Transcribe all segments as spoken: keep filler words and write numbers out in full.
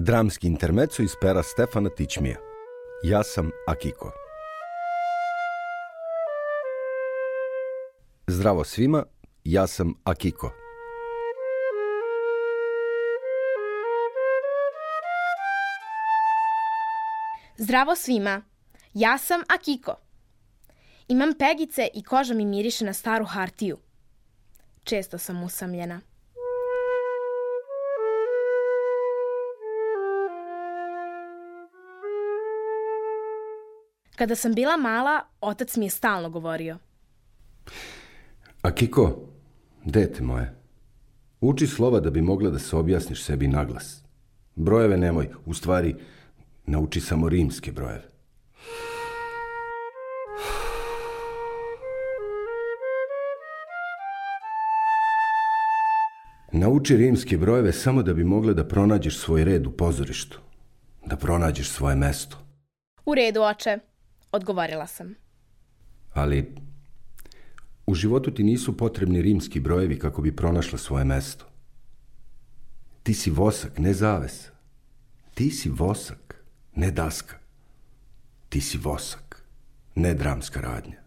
Dramski intermeco iz pera Stefana Tićmija. Ja sam Akiko. Zdravo svima, ja sam Akiko. Zdravo svima, ja sam Akiko. Imam pegice i koža mi miriše na staru hartiju. Često sam usamljena. Kada sam bila mala, otac mi je stalno govorio: Akiko, dete moje, uči slova da bi mogla da se objasniš sebi naglas. Brojeve nemoj, u stvari, nauči samo rimske brojeve. Nauči rimske brojeve samo da bi mogla da pronađeš svoj red u pozorištu, da pronađeš svoje mesto. U redu, oče, odgovorila sam. Ali u životu ti nisu potrebni rimski brojevi kako bi pronašla svoje mesto. Ti si vosak, ne zaves. Ti si vosak, ne daska. Ti si vosak, ne dramska radnja.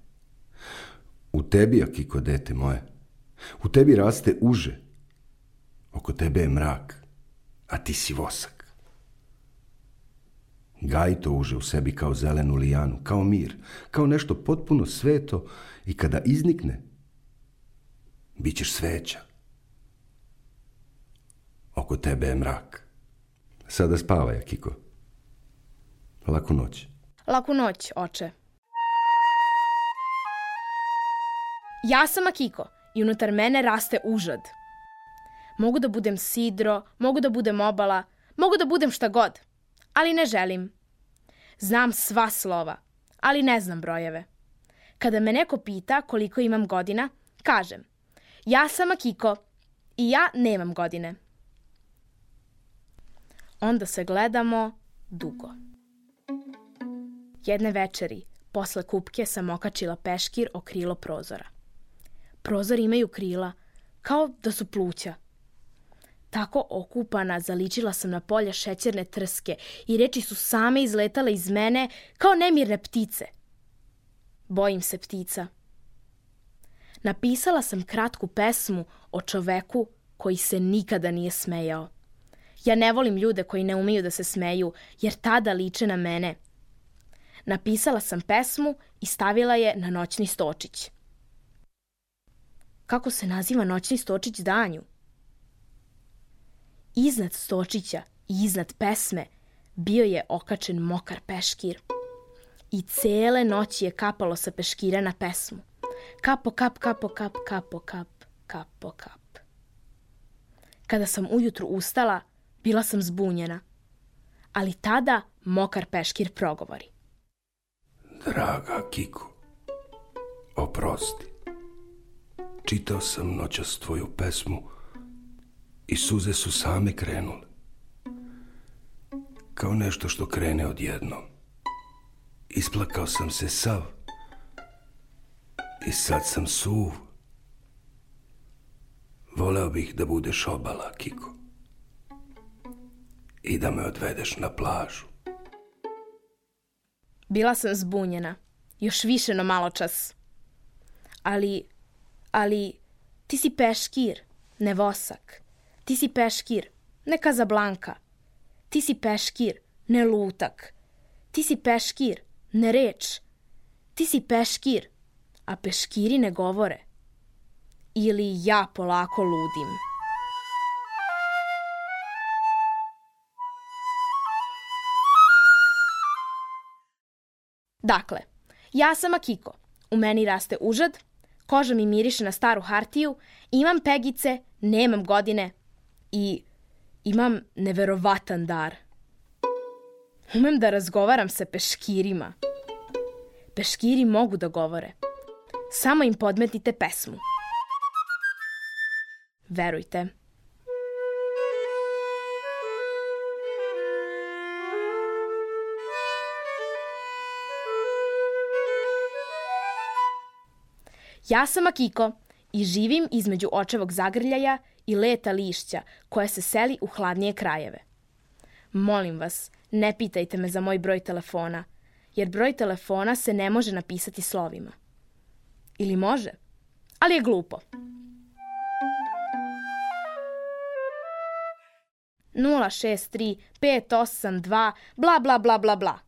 U tebi, Akiko, dete moje, u tebi raste uže. Oko tebe je mrak, a ti si vosak. Gaji to uže u sebi kao zelenu lijanu, kao mir, kao nešto potpuno sveto i kada iznikne, bit ćeš sveća. Oko tebe je mrak. Sada spavaj, Akiko. Laku noć. Laku noć, oče. Ja sam Akiko i unutar mene raste užad. Mogu da budem sidro, mogu da budem obala, mogu da budem šta god, ali ne želim. Znam sva slova, ali ne znam brojeve. Kada me neko pita koliko imam godina, kažem: ja sam Akiko i ja nemam godine. Onda se gledamo dugo. Jedne večeri, posle kupke, sam okačila peškir o krilo prozora. Prozori imaju krila, kao da su pluća. Tako okupana zaličila sam na polje šećerne trske i reči su same izletale iz mene kao nemirne ptice. Bojim se ptica. Napisala sam kratku pesmu o čoveku koji se nikada nije smejao. Ja ne volim ljude koji ne umeju da se smeju, jer tada liče na mene. Napisala sam pesmu i stavila je na noćni stočić. Kako se naziva noćni stočić danju? Iznad stočića i iznad pesme bio je okačen mokar peškir. I cele noći je kapalo sa peškira na pesmu. Kapo, kap, kapo, kap, kapo, kap, kapo, kap. Kada sam ujutru ustala, bila sam zbunjena. Ali tada mokar peškir progovori: Draga Kiko, oprosti. Čitao sam noćas tvoju pesmu i suze su same krenule. Kao nešto što krene odjednom. Isplakao sam se sav i sad sam suv. Voleo bih da budeš obala, Kiko, i da me odvedeš na plažu. Bila sam zbunjena, još više no maločas. Ali, ali, ti si peškir, ne vosak. Ti si peškir, ne Kazablanka. Ti si peškir, ne lutak. Ti si peškir, ne reč. Ti si peškir, a peškiri ne govore. Ili ja polako ludim. Dakle, ja sam Akiko. U meni raste užad, koža mi miriše na staru hartiju, imam pegice, nemam godine i imam neverovatan dar. Umem da razgovaram sa peškirima. Peškiri mogu da govore. Samo im podmetite pesmu. Verujte. Ja sam Akiko i živim između očevog zagrljaja i leta lišća koje se seli u hladnije krajeve. Molim vas, ne pitajte me za moj broj telefona, jer broj telefona se ne može napisati slovima. Ili može, ali je glupo. nula šest tri pet osam dva bla bla bla bla bla.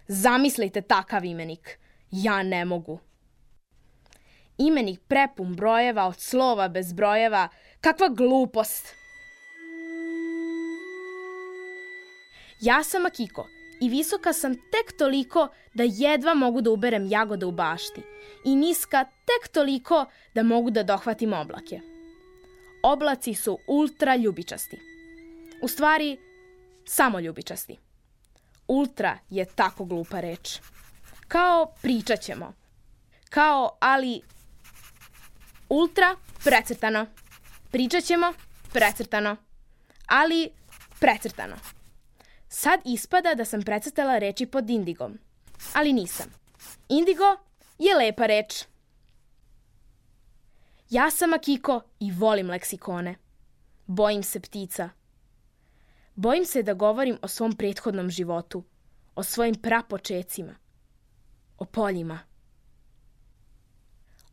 Zamislite takav imenik. Ja ne mogu. Imenik prepun brojeva od slova bez brojeva. Kakva glupost. Ja sam Akiko i visoka sam tek toliko da jedva mogu da uberem jagode u bašti i niska tek toliko da mogu da dohvatim oblake. Oblaci su ultra ljubičasti. U stvari, samo ljubičasti. Ultra je tako glupa reč. Kao pričat ćemo. Kao, ali... Ultra, precrtano. Pričat ćemo, precrtano. Ali, precrtano. Sad ispada da sam precrtala reči pod indigom. Ali nisam. Indigo je lepa reč. Ja sam Akiko i volim leksikone. Bojim se ptica. Bojim se da govorim o svom prethodnom životu, o svojim prapočecima, o poljima.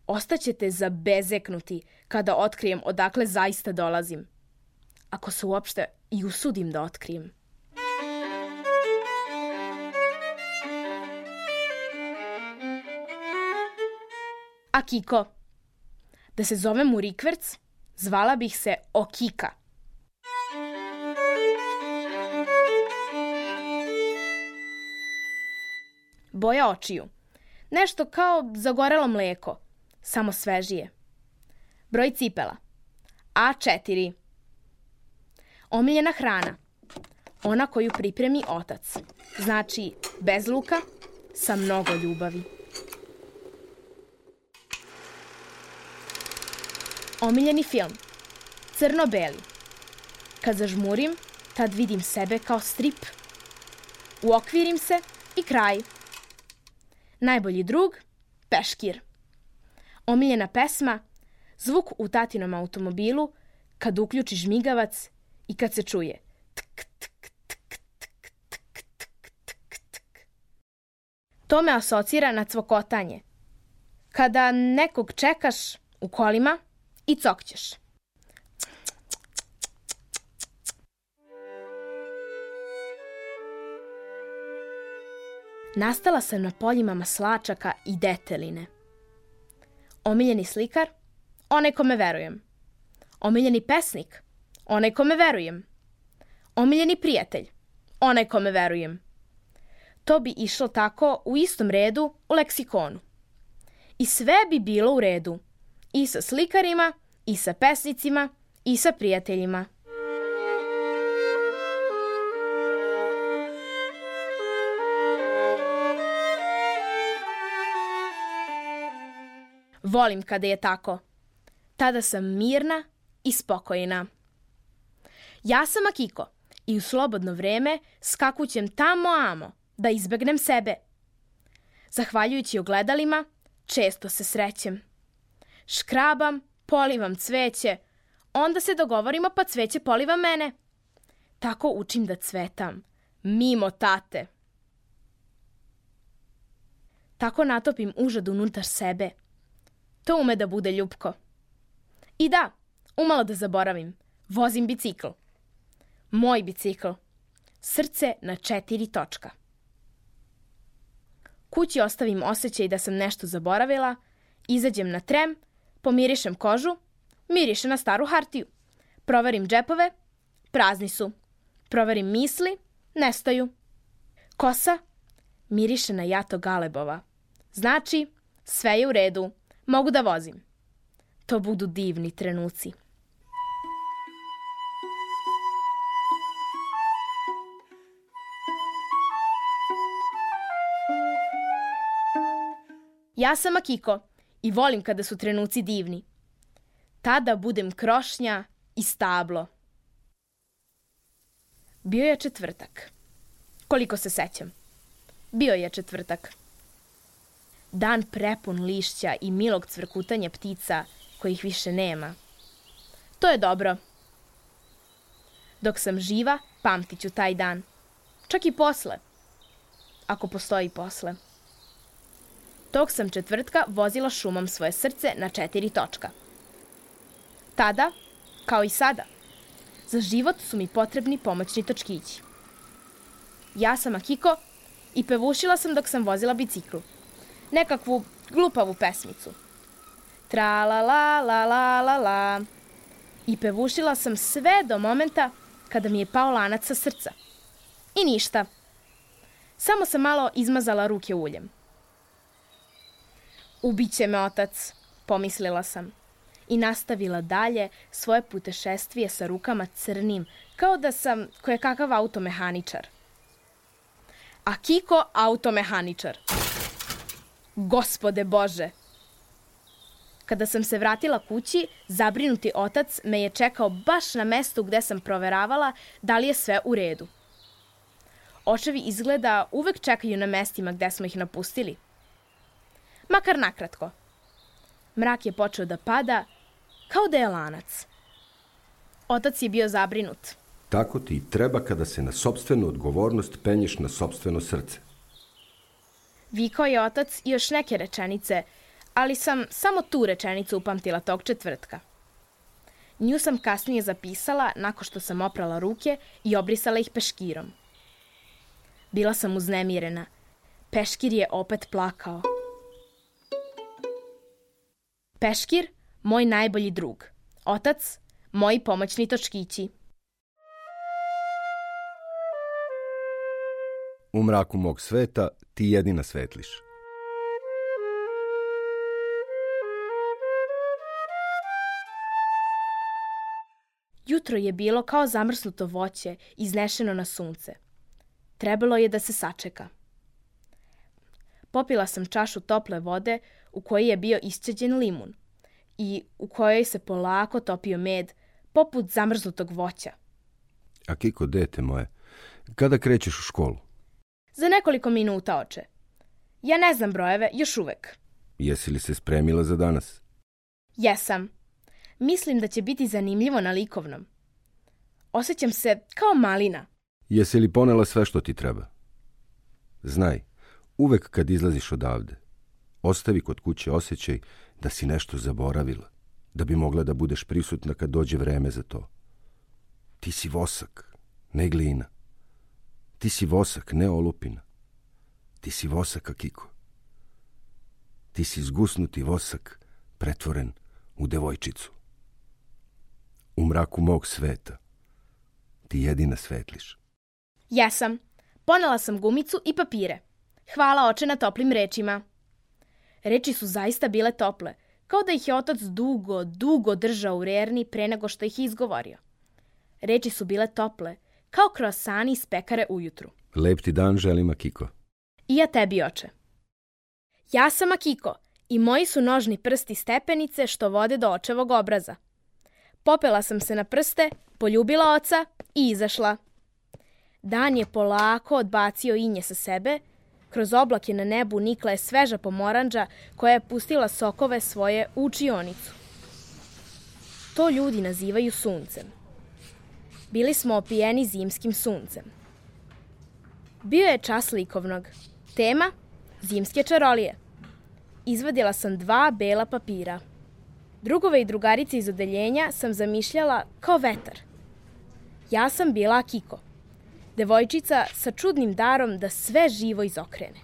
Ostaćete zabezeknuti kada otkrijem odakle zaista dolazim, ako se uopšte i usudim da otkrijem. Akiko. Da se zovem u rikverc, zvala bih se Okika. Boja očiju. Nešto kao zagorelo mleko, samo svežije. Broj cipela. A četiri. Omiljena hrana. Ona koju pripremi otac. Znači, bez luka, sa mnogo ljubavi. Omiljeni film. Crno-beli. Kad zažmurim, tad vidim sebe kao strip. Uokvirim se i kraj. Najbolji drug, peškir. Omiljena pesma, zvuk u tatinom automobilu kad uključi žmigavac i kad se čuje tk, tk, tk, tk, tk, tk, tk, tk. To me asocira na cvokotanje. Kada nekog čekaš u kolima i cokćeš. Nastala sam na poljima maslačaka i deteline. Omiljeni slikar, onaj kome verujem. Omiljeni pesnik, onaj kome verujem. Omiljeni prijatelj, onaj kome verujem. To bi išlo tako u istom redu u leksikonu. I sve bi bilo u redu. I sa slikarima, i sa pesnicima, i sa prijateljima. Volim kada je tako. Tada sam mirna i spokojna. Ja sam Akiko i u slobodno vreme skakućem tamo amo da izbegnem sebe. Zahvaljujući ogledalima, često se srećem. Škrabam, polivam cveće, onda se dogovorimo pa cveće poliva mene. Tako učim da cvetam, mimo tate. Tako natopim užad unutar sebe. To ume da bude ljupko. I da, umalo da zaboravim, vozim bicikl. Moj bicikl. Srce na četiri točka. Kući ostavim osjećaj da sam nešto zaboravila, izađem na trem, pomirišem kožu, mirišem na staru hartiju. Proverim džepove, prazni su. Proverim misli, nestaju. Kosa miriše na jato galebova. Znači, sve je u redu. Mogu da vozim. To budu divni trenuci. Ja sam Akiko i volim kada su trenuci divni. Tada budem krošnja i stablo. Bio je četvrtak. Koliko se sećam. Bio je četvrtak. Dan prepun lišća i milog cvrkutanja ptica kojih više nema. To je dobro. Dok sam živa, pamtit ću taj dan. Čak i posle. Ako postoji posle. Tog sam četvrtka vozila šumom svoje srce na četiri točka. Tada, kao i sada, za život su mi potrebni pomoćni točkići. Ja sam Akiko i pevušila sam dok sam vozila biciklu. Nekakvu glupavu pesmicu. Tra la la la la la la. I pevušila sam sve do momenta kada mi je pao lanac sa srca. I ništa. Samo sam malo izmazala ruke uljem. Ubiće me otac, pomislila sam. I nastavila dalje svoje putešestvije sa rukama crnim, kao da sam kojekakav automehaničar. Akiko automehaničar. Gospode Bože! Kada sam se vratila kući, zabrinuti otac me je čekao baš na mestu gde sam proveravala da li je sve u redu. Očevi izgleda uvek čekaju na mestima gde smo ih napustili. Makar nakratko. Mrak je počeo da pada, kao da je lanac. Otac je bio zabrinut. Tako ti treba kada se na sopstvenu odgovornost penješ na sopstveno srce. Vikao je otac i još neke rečenice, ali sam samo tu rečenicu upamtila tog četvrtka. Nju sam kasnije zapisala nakon što sam oprala ruke i obrisala ih peškirom. Bila sam uznemirena. Peškir je opet plakao. Peškir, moj najbolji drug. Otac, moji pomoćni točkići. U mraku mog sveta ti jedina svetliš. Jutro je bilo kao zamrznuto voće, iznešeno na sunce. Trebalo je da se sačeka. Popila sam čašu tople vode u kojoj je bio isceđen limun i u kojoj se polako topio med, poput zamrznutog voća. Akiko, dete moje, kada krećeš u školu? Za nekoliko minuta, oče. Ja ne znam brojeve, još uvek. Jesi li se spremila za danas? Jesam. Mislim da će biti zanimljivo na likovnom. Osjećam se kao malina. Jesi li ponela sve što ti treba? Znaj, uvek kad izlaziš odavde, ostavi kod kuće osjećaj da si nešto zaboravila, da bi mogla da budeš prisutna kad dođe vreme za to. Ti si vosak, ne glina. Ti si vosak, ne olupina. Ti si vosak, Akiko. Ti si zgusnuti vosak, pretvoren u devojčicu. U mraku mog sveta ti jedina svetliš. Jesam. Ponela sam gumicu i papire. Hvala, oče, na toplim rečima. Reči su zaista bile tople, kao da ih je otac dugo, dugo držao u rerni pre nego što ih je izgovorio. Reči su bile tople, kao kroasani iz pekare ujutru. Lep ti dan želim, Akiko. I ja tebi, oče. Ja sam Akiko i moji su nožni prsti stepenice što vode do očevog obraza. Popela sam se na prste, poljubila oca i izašla. Dan je polako odbacio inje sa sebe, kroz oblake na nebu nikla je sveža pomoranđa koja je pustila sokove svoje u učionicu. To ljudi nazivaju suncem. Bili smo opijeni zimskim suncem. Bio je čas likovnog. Tema – zimske čarolije. Izvadila sam dva bela papira. Drugove i drugarice iz odeljenja sam zamišljala kao vetar. Ja sam bila Akiko, devojčica sa čudnim darom da sve živo izokrene.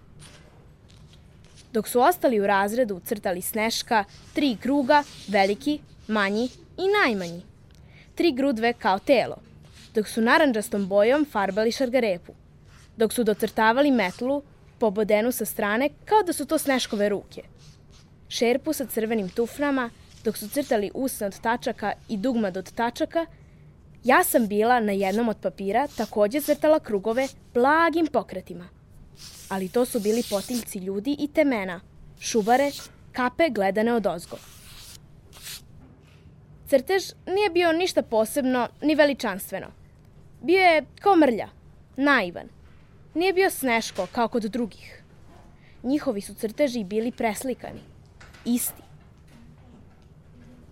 Dok su ostali u razredu crtali sneška, tri kruga, veliki, manji i najmanji. Tri grudve kao telo, dok su narandžastom bojom farbali šargarepu, dok su docrtavali metlu, pobodenu sa strane kao da su to sneškove ruke. Šerpu sa crvenim tufnama, dok su crtali usne od tačaka i dugmad od tačaka, ja sam bila na jednom od papira takođe crtala krugove blagim pokretima. Ali to su bili potiljci ljudi i temena, šubare, kape gledane odozgo. Crtež nije bio ništa posebno ni veličanstveno. Bio je kao mrlja, naivan. Nije bio sneško kao kod drugih. Njihovi su crteži bili preslikani, isti.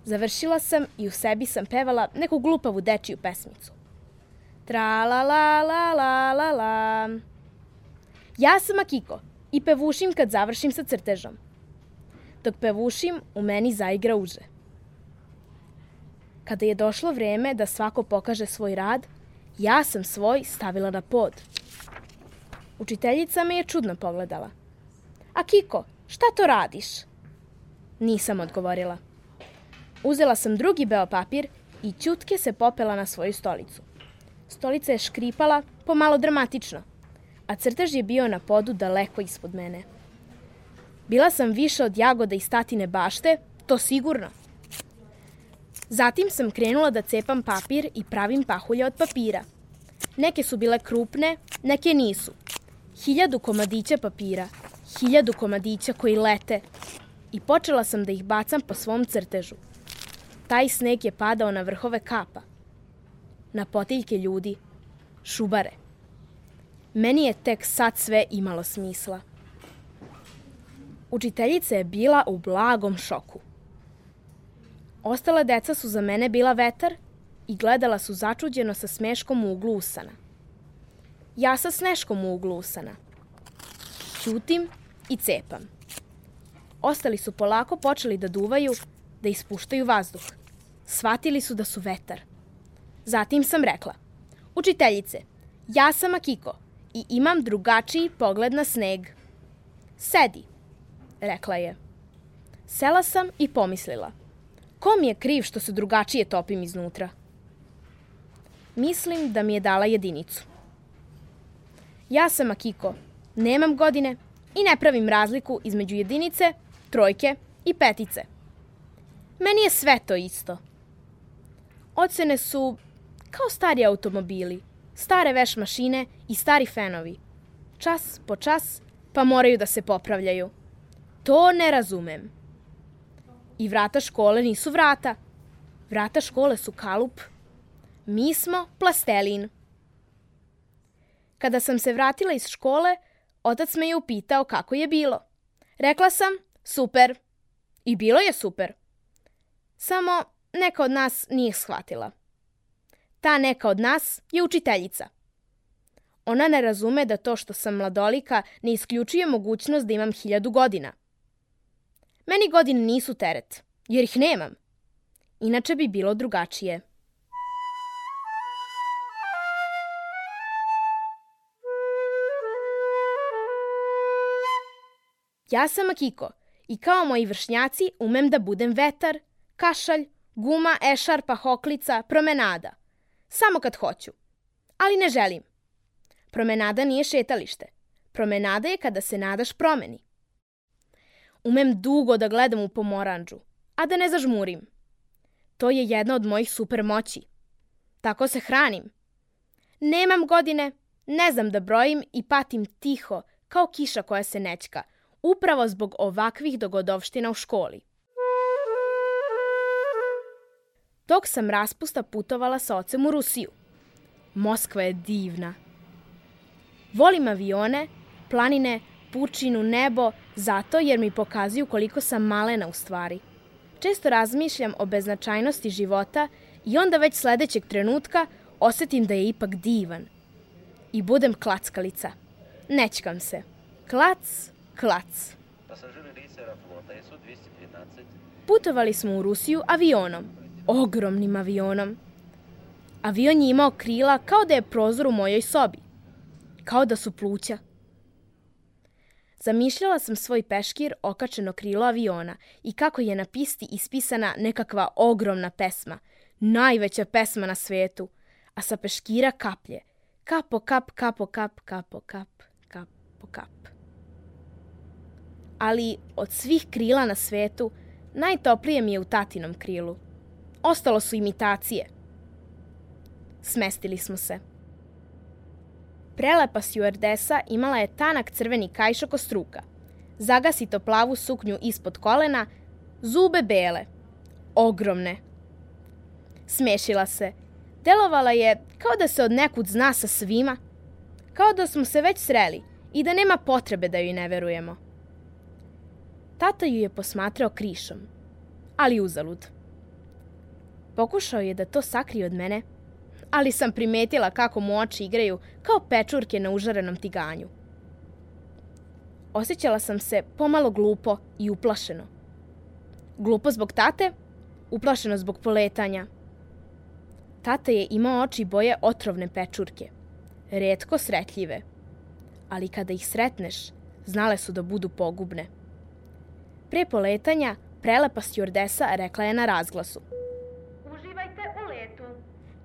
Završila sam i u sebi sam pevala neku glupavu dečiju pesmicu. Tra la la la la la la. Ja sam Akiko i pevušim kad završim sa crtežom. Dok pevušim, u meni zaigra uže. Kada je došlo vreme da svako pokaže svoj rad, ja sam svoj stavila na pod. Učiteljica me je čudno pogledala. Akiko, šta to radiš? Nisam odgovorila. Uzela sam drugi beo papir i ćutke se popela na svoju stolicu. Stolica je škripala pomalo dramatično, a crtež je bio na podu daleko ispod mene. Bila sam više od jagoda iz tatine bašte, to sigurno. Zatim sam krenula da cepam papir i pravim pahulje od papira. Neke su bile krupne, neke nisu. Hiljadu komadića papira, hiljadu komadića koji lete. I počela sam da ih bacam po svom crtežu. Taj sneg je padao na vrhove kapa, na potiljke ljudi, šubare. Meni je tek sad sve imalo smisla. Učiteljica je bila u blagom šoku. Ostala deca su za mene bila vetar i gledala su začuđeno sa smeškom u uglu usana. Ja sa sneškom u uglu usana. Ćutim i cepam. Ostali su polako počeli da duvaju, da ispuštaju vazduh. Shvatili su da su vetar. Zatim sam rekla, učiteljice, ja sam Akiko i imam drugačiji pogled na sneg. Sedi, rekla je. Sela sam i pomislila, ko mi je kriv što se drugačije topim iznutra? Mislim da mi je dala jedinicu. Ja sam Akiko, nemam godine i ne pravim razliku između jedinice, trojke i petice. Meni je sve to isto. Ocene su kao stari automobili, stare veš mašine i stari fenovi. Čas po čas, pa moraju da se popravljaju. To ne razumem. I vrata škole nisu vrata. Vrata škole su kalup. Mi smo plastelin. Kada sam se vratila iz škole, otac me je upitao kako je bilo. Rekla sam, super. I bilo je super. Samo neka od nas nije shvatila. Ta neka od nas je učiteljica. Ona ne razume da to što sam mladolika ne isključuje mogućnost da imam hiljadu godina. Meni godine nisu teret, jer ih nemam. Inače bi bilo drugačije. Ja sam Akiko i kao moji vršnjaci umem da budem vetar, kašalj, guma, ešarpa, hoklica, promenada. Samo kad hoću. Ali ne želim. Promenada nije šetalište. Promenada je kada se nadaš promeni. Umem dugo da gledam u pomoranđu, a da ne zažmurim. To je jedna od mojih super moći. Tako se hranim. Nemam godine, ne znam da brojim i patim tiho, kao kiša koja se nećka, upravo zbog ovakvih dogodovština u školi. Tog sam raspusta putovala sa ocem u Rusiju. Moskva je divna. Volim avione, planine, pučinu, nebo, zato jer mi pokazuju koliko sam malena u stvari. Često razmišljam o beznačajnosti života i onda već sledećeg trenutka osetim da je ipak divan. I budem klackalica. Nećkam se. Klac, klac. Putovali smo u Rusiju avionom. Ogromnim avionom. Avion je imao krila kao da je prozor u mojoj sobi. Kao da su pluća. Zamišljala sam svoj peškir okačeno krilo aviona i kako je na pisti ispisana nekakva ogromna pesma, najveća pesma na svetu, a sa peškira kaplje. Kapo kap, kapo kap, kapo kap, kapo kap. Ali od svih krila na svetu, najtoplije mi je u tatinom krilu. Ostalo su imitacije. Smestili smo se. Prelepa stjuardesa imala je tanak crveni kajšak od struka, zagasito plavu suknju ispod kolena, zube bele, ogromne. Smešila se. Delovala je kao da se od nekud zna sa svima, kao da smo se već sreli i da nema potrebe da joj ne verujemo. Tata ju je posmatrao krišom, ali uzalud. Pokušao je da to sakrije od mene, ali sam primetila kako mu oči igraju kao pečurke na užarenom tiganju. Osjećala sam se pomalo glupo i uplašeno. Glupo zbog tate, uplašeno zbog poletanja. Tata je imao oči boje otrovne pečurke, retko sretljive, ali kada ih sretneš, znale su da budu pogubne. Pre poletanja, prelepa stjuardesa rekla je na razglasu: "Uživajte u letu."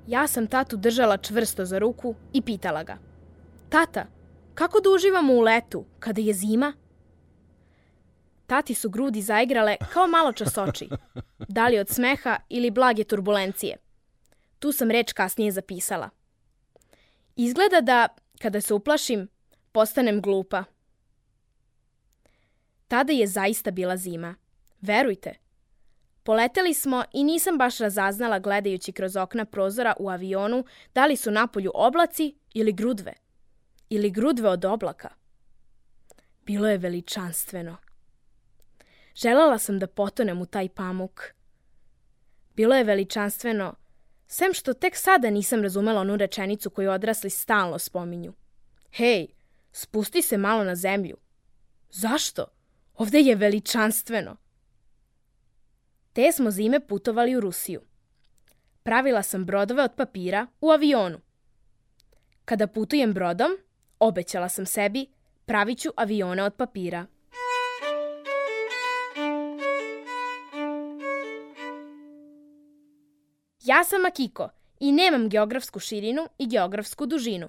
Ja sam tatu držala čvrsto za ruku i pitala ga: "Tata, kako da uživamo u letu, kada je zima?" Tati su grudi zaigrale kao maločas oči, da li od smeha ili blage turbulencije. Tu sam reč kasnije zapisala. Izgleda da, kada se uplašim, postanem glupa. Tada je zaista bila zima. Verujte. Poleteli smo i nisam baš razaznala gledajući kroz okna prozora u avionu da li su napolju oblaci ili grudve. Ili grudve od oblaka. Bilo je veličanstveno. Želela sam da potonem u taj pamuk. Bilo je veličanstveno, sem što tek sada nisam razumela onu rečenicu koju odrasli stalno spominju. Hej, spusti se malo na zemlju. Zašto? Ovde je veličanstveno. Te smo zime putovali u Rusiju. Pravila sam brodove od papira u avionu. Kada putujem brodom, obećala sam sebi, pravit ću avione od papira. Ja sam Akiko i nemam geografsku širinu i geografsku dužinu.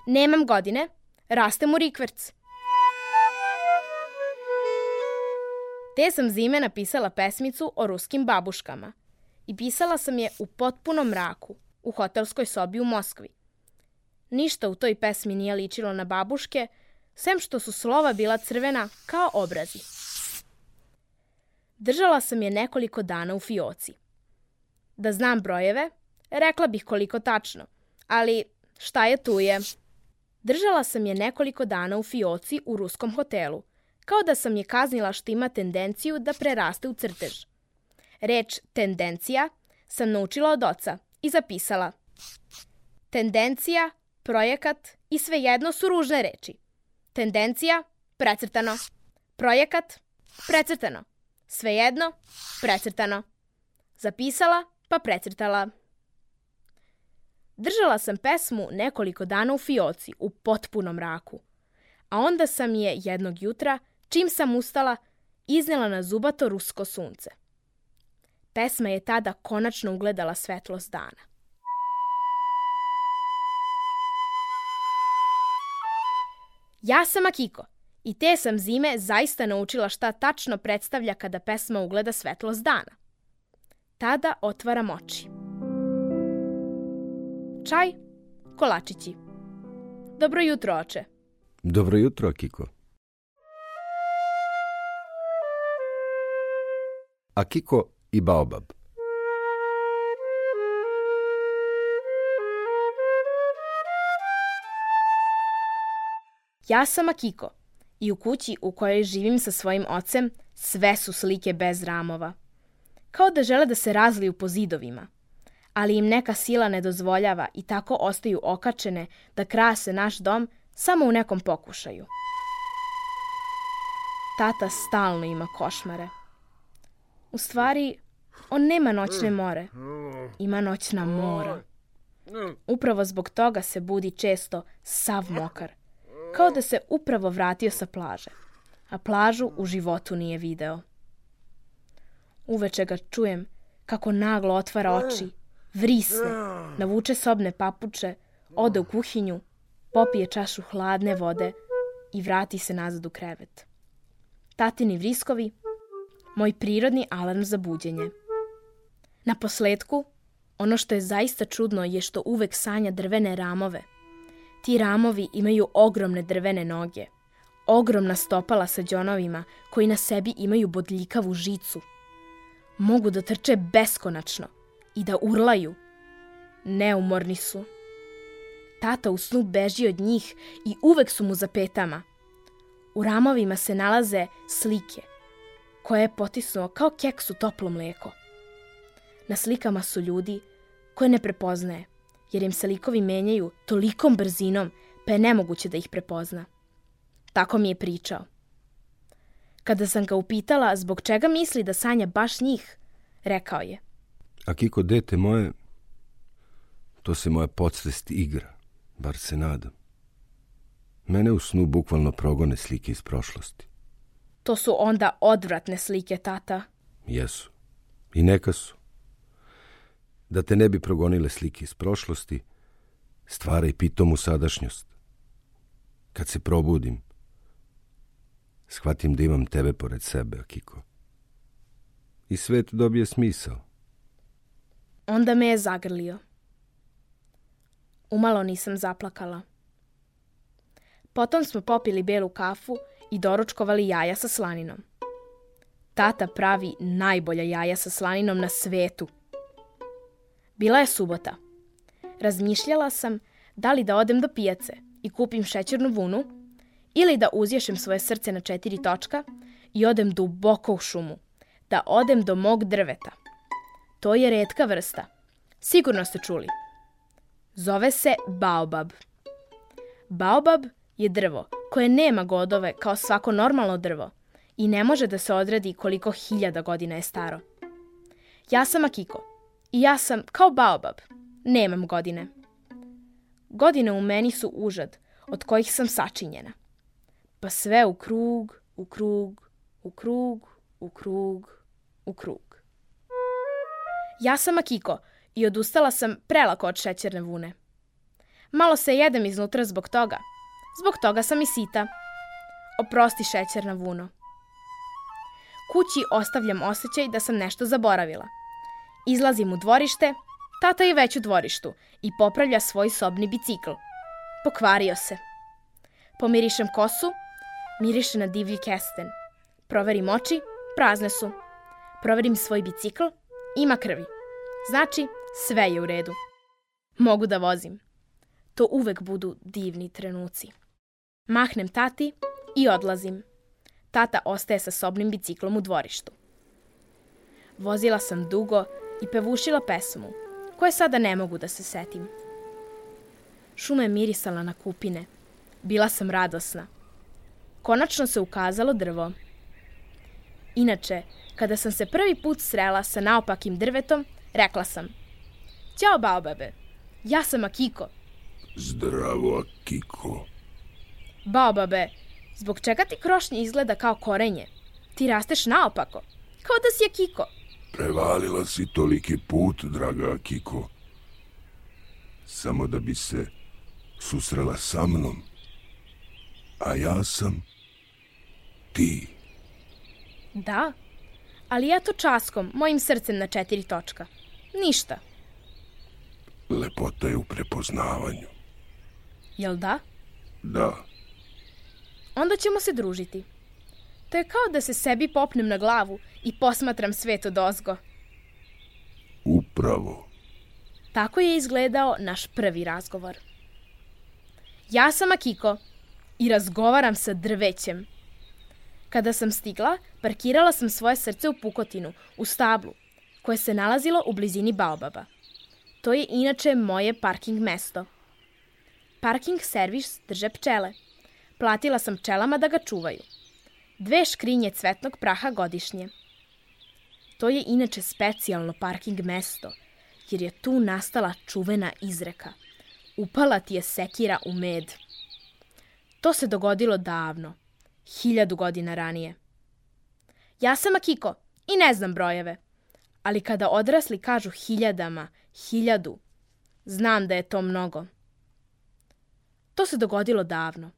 Nemam godine, rastem u rikverc. Te sam zime napisala pesmicu o ruskim babuškama i pisala sam je u potpunom mraku, u hotelskoj sobi u Moskvi. Ništa u toj pesmi nije ličilo na babuške, sem što su slova bila crvena kao obrazi. Držala sam je nekoliko dana u fioci. Da znam brojeve, rekla bih koliko tačno, ali šta je tu je. Držala sam je nekoliko dana u fioci u ruskom hotelu, kao da sam je kaznila što ima tendenciju da preraste u crtež. Reč tendencija sam naučila od oca i zapisala. Tendencija, projekat i svejedno su ružne reči. Tendencija, precrtano. Projekat, precrtano. Svejedno, precrtano. Zapisala, pa precrtala. Držala sam pesmu nekoliko dana u fioci, u potpunom mraku. A onda sam je jednog jutra, čim sam ustala, iznela na zubato rusko sunce. Pesma je tada konačno ugledala svetlost dana. Ja sam Akiko i te sam zime zaista naučila šta tačno predstavlja kada pesma ugleda svetlost dana. Tada otvaram oči. Čaj, kolačići. Dobro jutro, oče. Dobro jutro, Akiko. Akiko i Baobab. Ja sam Akiko i u kući u kojoj živim sa svojim ocem sve su slike bez ramova. Kao da žele da se razliju po zidovima, ali im neka sila ne dozvoljava i tako ostaju okačene da krase naš dom samo u nekom pokušaju. Tata stalno ima košmare. U stvari, on nema noćne more, ima noćna mora. Upravo zbog toga se budi često sav mokar, kao da se upravo vratio sa plaže, a plažu u životu nije video. Uveče ga čujem kako naglo otvara oči, vrisne, navuče sobne papuče, ode u kuhinju, popije čašu hladne vode i vrati se nazad u krevet. Tatini vriskovi, moj prirodni alarm za buđenje. Na posletku, ono što je zaista čudno je što uvek sanja drvene ramove. Ti ramovi imaju ogromne drvene noge, ogromna stopala sa đonovima koji na sebi imaju bodljikavu žicu. Mogu da trče beskonačno i da urlaju. Neumorni su. Tata u snu beži od njih i uvek su mu za petama. U ramovima se nalaze slike, koje je potisnuo kao keks u toplo mlijeko. Na slikama su ljudi koje ne prepoznaje, jer im se likovi menjaju tolikom brzinom, pa je nemoguće da ih prepozna. Tako mi je pričao. Kada sam ga upitala zbog čega misli da sanja baš njih, rekao je: Akiko, dete moje, to se moja podsvest igra, bar se nadam. Mene u snu bukvalno progone slike iz prošlosti. To su onda odvratne slike, tata. Jesu. I neka su. Da te ne bi progonile slike iz prošlosti, stvaraj pitomu sadašnjost. Kad se probudim, shvatim da imam tebe pored sebe, Akiko. I svet dobije smisao. Onda me je zagrlio. Umalo nisam zaplakala. Potom smo popili belu kafu i doručkovali jaja sa slaninom. Tata pravi najbolja jaja sa slaninom na svetu. Bila je subota. Razmišljala sam da li da odem do pijace i kupim šećernu vunu ili da uzješem svoje srce na četiri točka i odem duboko u šumu, da odem do mog drveta. To je retka vrsta. Sigurno ste čuli. Zove se baobab. Baobab je drvo koje nema godove kao svako normalno drvo i ne može da se odredi koliko hiljada godina je staro. Ja sam Akiko i ja sam kao baobab. Nemam godine. Godine u meni su užad od kojih sam sačinjena. Pa sve u krug, u krug, u krug, u krug, u krug. Ja sam Akiko i odustala sam prelako od šećerne vune. Malo se jedem iznutra zbog toga. Zbog toga sam i sita. Oprosti, šećerna vuno. Kući ostavljam osjećaj da sam nešto zaboravila. Izlazim u dvorište, tata je već u dvorištu i popravlja svoj sobni bicikl. Pokvario se. Pomirišem kosu, miriše na divlji kesten. Proverim oči, prazne su. Proverim svoj bicikl, ima krvi. Znači, sve je u redu. Mogu da vozim. To uvek budu divni trenuci. Mahnem tati i odlazim. Tata ostaje sa sobnim biciklom u dvorištu. Vozila sam dugo i pevušila pesmu, koje sada ne mogu da se setim. Šuma je mirisala na kupine. Bila sam radosna. Konačno se ukazalo drvo. Inače, kada sam se prvi put srela sa naopakim drvetom, rekla sam: Ćao, baobabe, ja sam Akiko. Zdravo, Akiko. Baobabe, zbog čega ti krošnje izgleda kao korenje? Ti rasteš naopako, kao da si Akiko. Prevalila si toliki put, draga Akiko. Samo da bi se susrela sa mnom. A ja sam ti. Da, ali ja to časkom, mojim srcem na četiri točka. Ništa. Lepota je u prepoznavanju. Jel da? Da. Onda ćemo se družiti. To je kao da se sebi popnem na glavu i posmatram svet odozgo. Upravo. Tako je izgledao naš prvi razgovor. Ja sam Akiko i razgovaram sa drvećem. Kada sam stigla, parkirala sam svoje srce u pukotinu, u stablu, koje se nalazilo u blizini baobaba. To je inače moje parking mesto. Parking servis drže pčele. Platila sam pčelama da ga čuvaju. Dve škrinje cvetnog praha godišnje. To je inače specijalno parking mesto, jer je tu nastala čuvena izreka: upala ti je sekira u med. To se dogodilo davno, hiljadu godina ranije. Ja sam Akiko i ne znam brojeve, ali kada odrasli kažu hiljadama, hiljadu, znam da je to mnogo. To se dogodilo davno,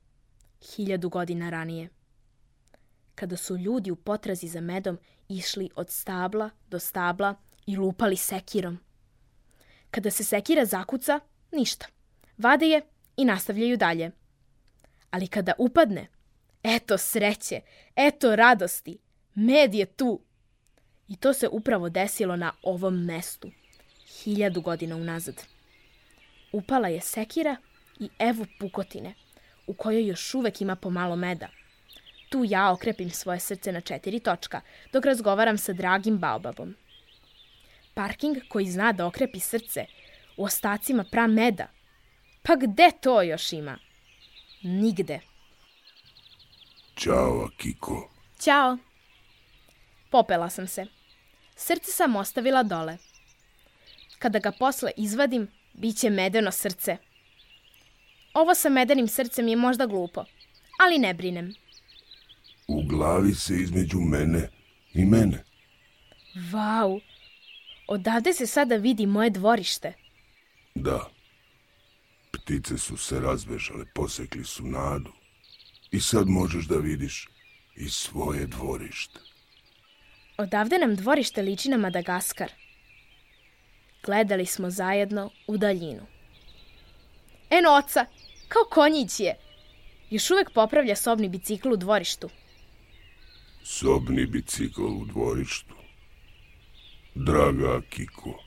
hiljadu godina ranije, kada su ljudi u potrazi za medom išli od stabla do stabla i lupali sekirom. Kada se sekira zakuca, ništa. Vade je i nastavljaju dalje. Ali kada upadne, eto sreće, eto radosti, med je tu. I to se upravo desilo na ovom mestu, hiljadu godina unazad. Upala je sekira i evo pukotine, u kojoj još uvek ima pomalo meda. Tu ja okrepim svoje srce na četiri točka, dok razgovaram sa dragim baobabom. Parking koji zna da okrepi srce u ostacima prameda. Pa gde to još ima? Nigde. Ćao, Akiko. Ćao. Popela sam se. Srce sam ostavila dole. Kada ga posle izvadim, bit će medeno srce. Ovo sa medenim srcem je možda glupo, ali ne brinem. U glavi se između mene i mene. Vau, odavde se sada vidi moje dvorište. Da. Ptice su se razbežale, posekli su nadu. I sad možeš da vidiš i svoje dvorište. Odavde nam dvorište liči na Madagaskar. Gledali smo zajedno u daljinu. Eno oca, kao konjić je. Još uvek popravlja sobni bicikl u dvorištu. Sobni bicikl u dvorištu. Draga Akiko,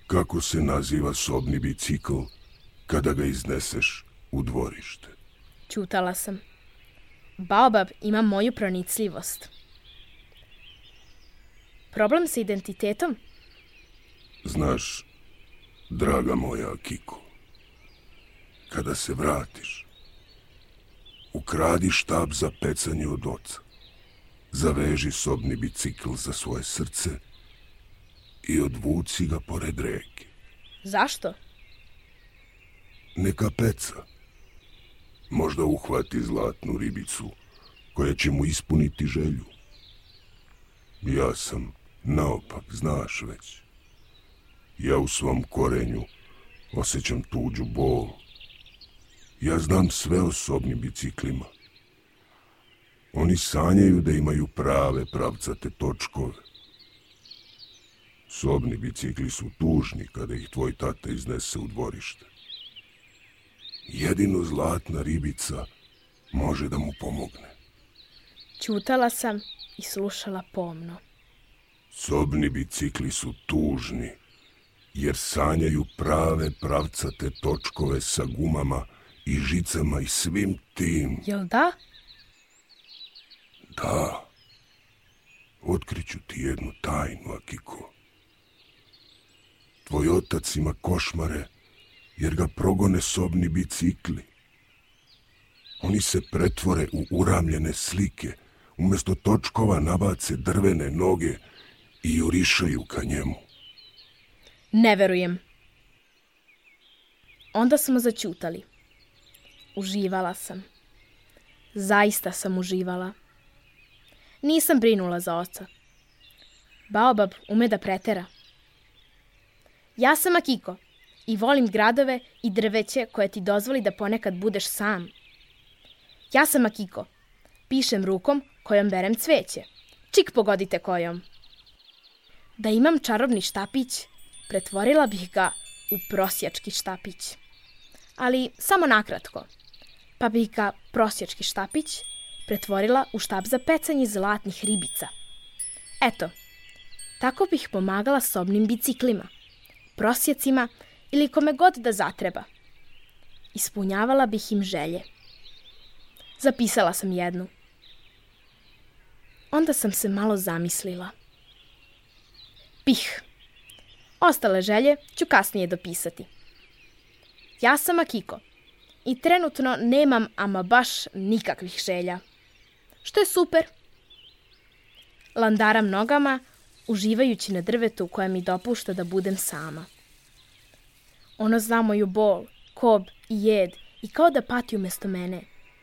kako se naziva sobni bicikl kada ga izneseš u dvorište? Ćutala sam. Baobab ima moju pronicljivost. Problem sa identitetom? Znaš, draga moja Akiko, kada se vratiš, ukradi štab za pecanje od oca, zaveži sobni bicikl za svoje srce i odvuci ga pored reke. Zašto? Neka peca. Možda uhvati zlatnu ribicu koja će mu ispuniti želju. Ja sam naopak, znaš već. Ja u svom korenju osjećam tuđu bol. Ja znam sve o sobnim biciklima. Oni sanjaju da imaju prave pravcate točkove. Sobni bicikli su tužni kada ih tvoj tata iznese u dvorište. Jedino zlatna ribica može da mu pomogne. Ćutala sam i slušala pomno. Sobni bicikli su tužni, jer sanjaju prave pravcate točkove sa gumama i žicama i svim tim. Jel da? Da. Otkriću ti jednu tajnu, Akiko. Tvoj otac ima košmare jer ga progone sobni bicikli. Oni se pretvore u uramljene slike, umjesto točkova nabace drvene noge i jurišaju ka njemu. Ne verujem. Onda smo zaćutali. Uživala sam. Zaista sam uživala. Nisam brinula za oca. Baobab ume da pretera. Ja sam Akiko i volim gradove i drveće koje ti dozvoli da ponekad budeš sam. Ja sam Akiko. Pišem rukom kojom berem cveće. Čik pogodite kojom. Da imam čarobni štapić, pretvorila bih ga u prosjački štapić. Ali samo nakratko. Pa bih ga prosjački štapić pretvorila u štap za pecanje zlatnih ribica. Eto, tako bih pomagala sobnim biciklima, prosjecima ili kome god da zatreba. Ispunjavala bih im želje. Zapisala sam jednu. Onda sam se malo zamislila. Pih. Ostale želje ću kasnije dopisati. Ja sam Akiko i trenutno nemam ama baš nikakvih želja. Što je super. Landaram nogama, uživajući na drvetu koje mi dopušta da budem sama. Ono zna moju bol, kob i jed i kao da pati umjesto mene.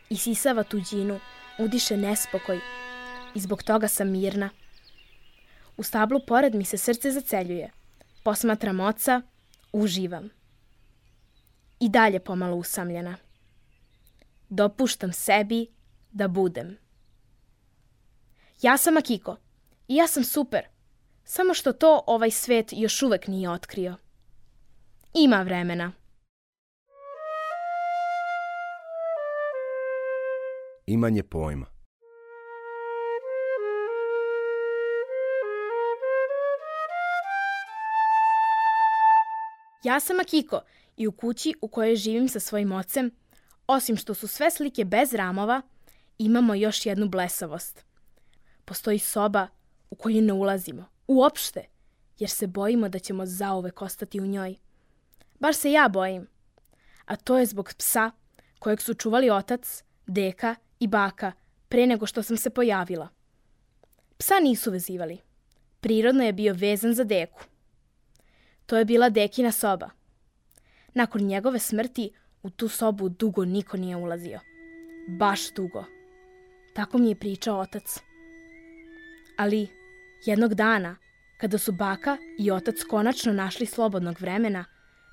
Isisava tuđinu, udiše nespokoj i zbog toga sam mirna. U stablu pored mi se srce zaceljuje. Posmatram oca, uživam. I dalje pomalo usamljena. Dopuštam sebi da budem. Ja sam Akiko i ja sam super, samo što to ovaj svet još uvek nije otkrio. Ima vremena. Imanje pojma. Ja sam Akiko i u kući u kojoj živim sa svojim ocem, osim što su sve slike bez ramova, imamo još jednu blesavost. Postoji soba u koju ne ulazimo. Uopšte, jer se bojimo da ćemo zauvek ostati u njoj. Baš se ja bojim. A to je zbog psa kojeg su čuvali otac, deka i baka pre nego što sam se pojavila. Psa nisu vezivali. Prirodno je bio vezan za deku. To je bila dekina soba. Nakon njegove smrti u tu sobu dugo niko nije ulazio. Baš dugo. Tako mi je pričao otac. Ali jednog dana, kada su baka i otac konačno našli slobodnog vremena,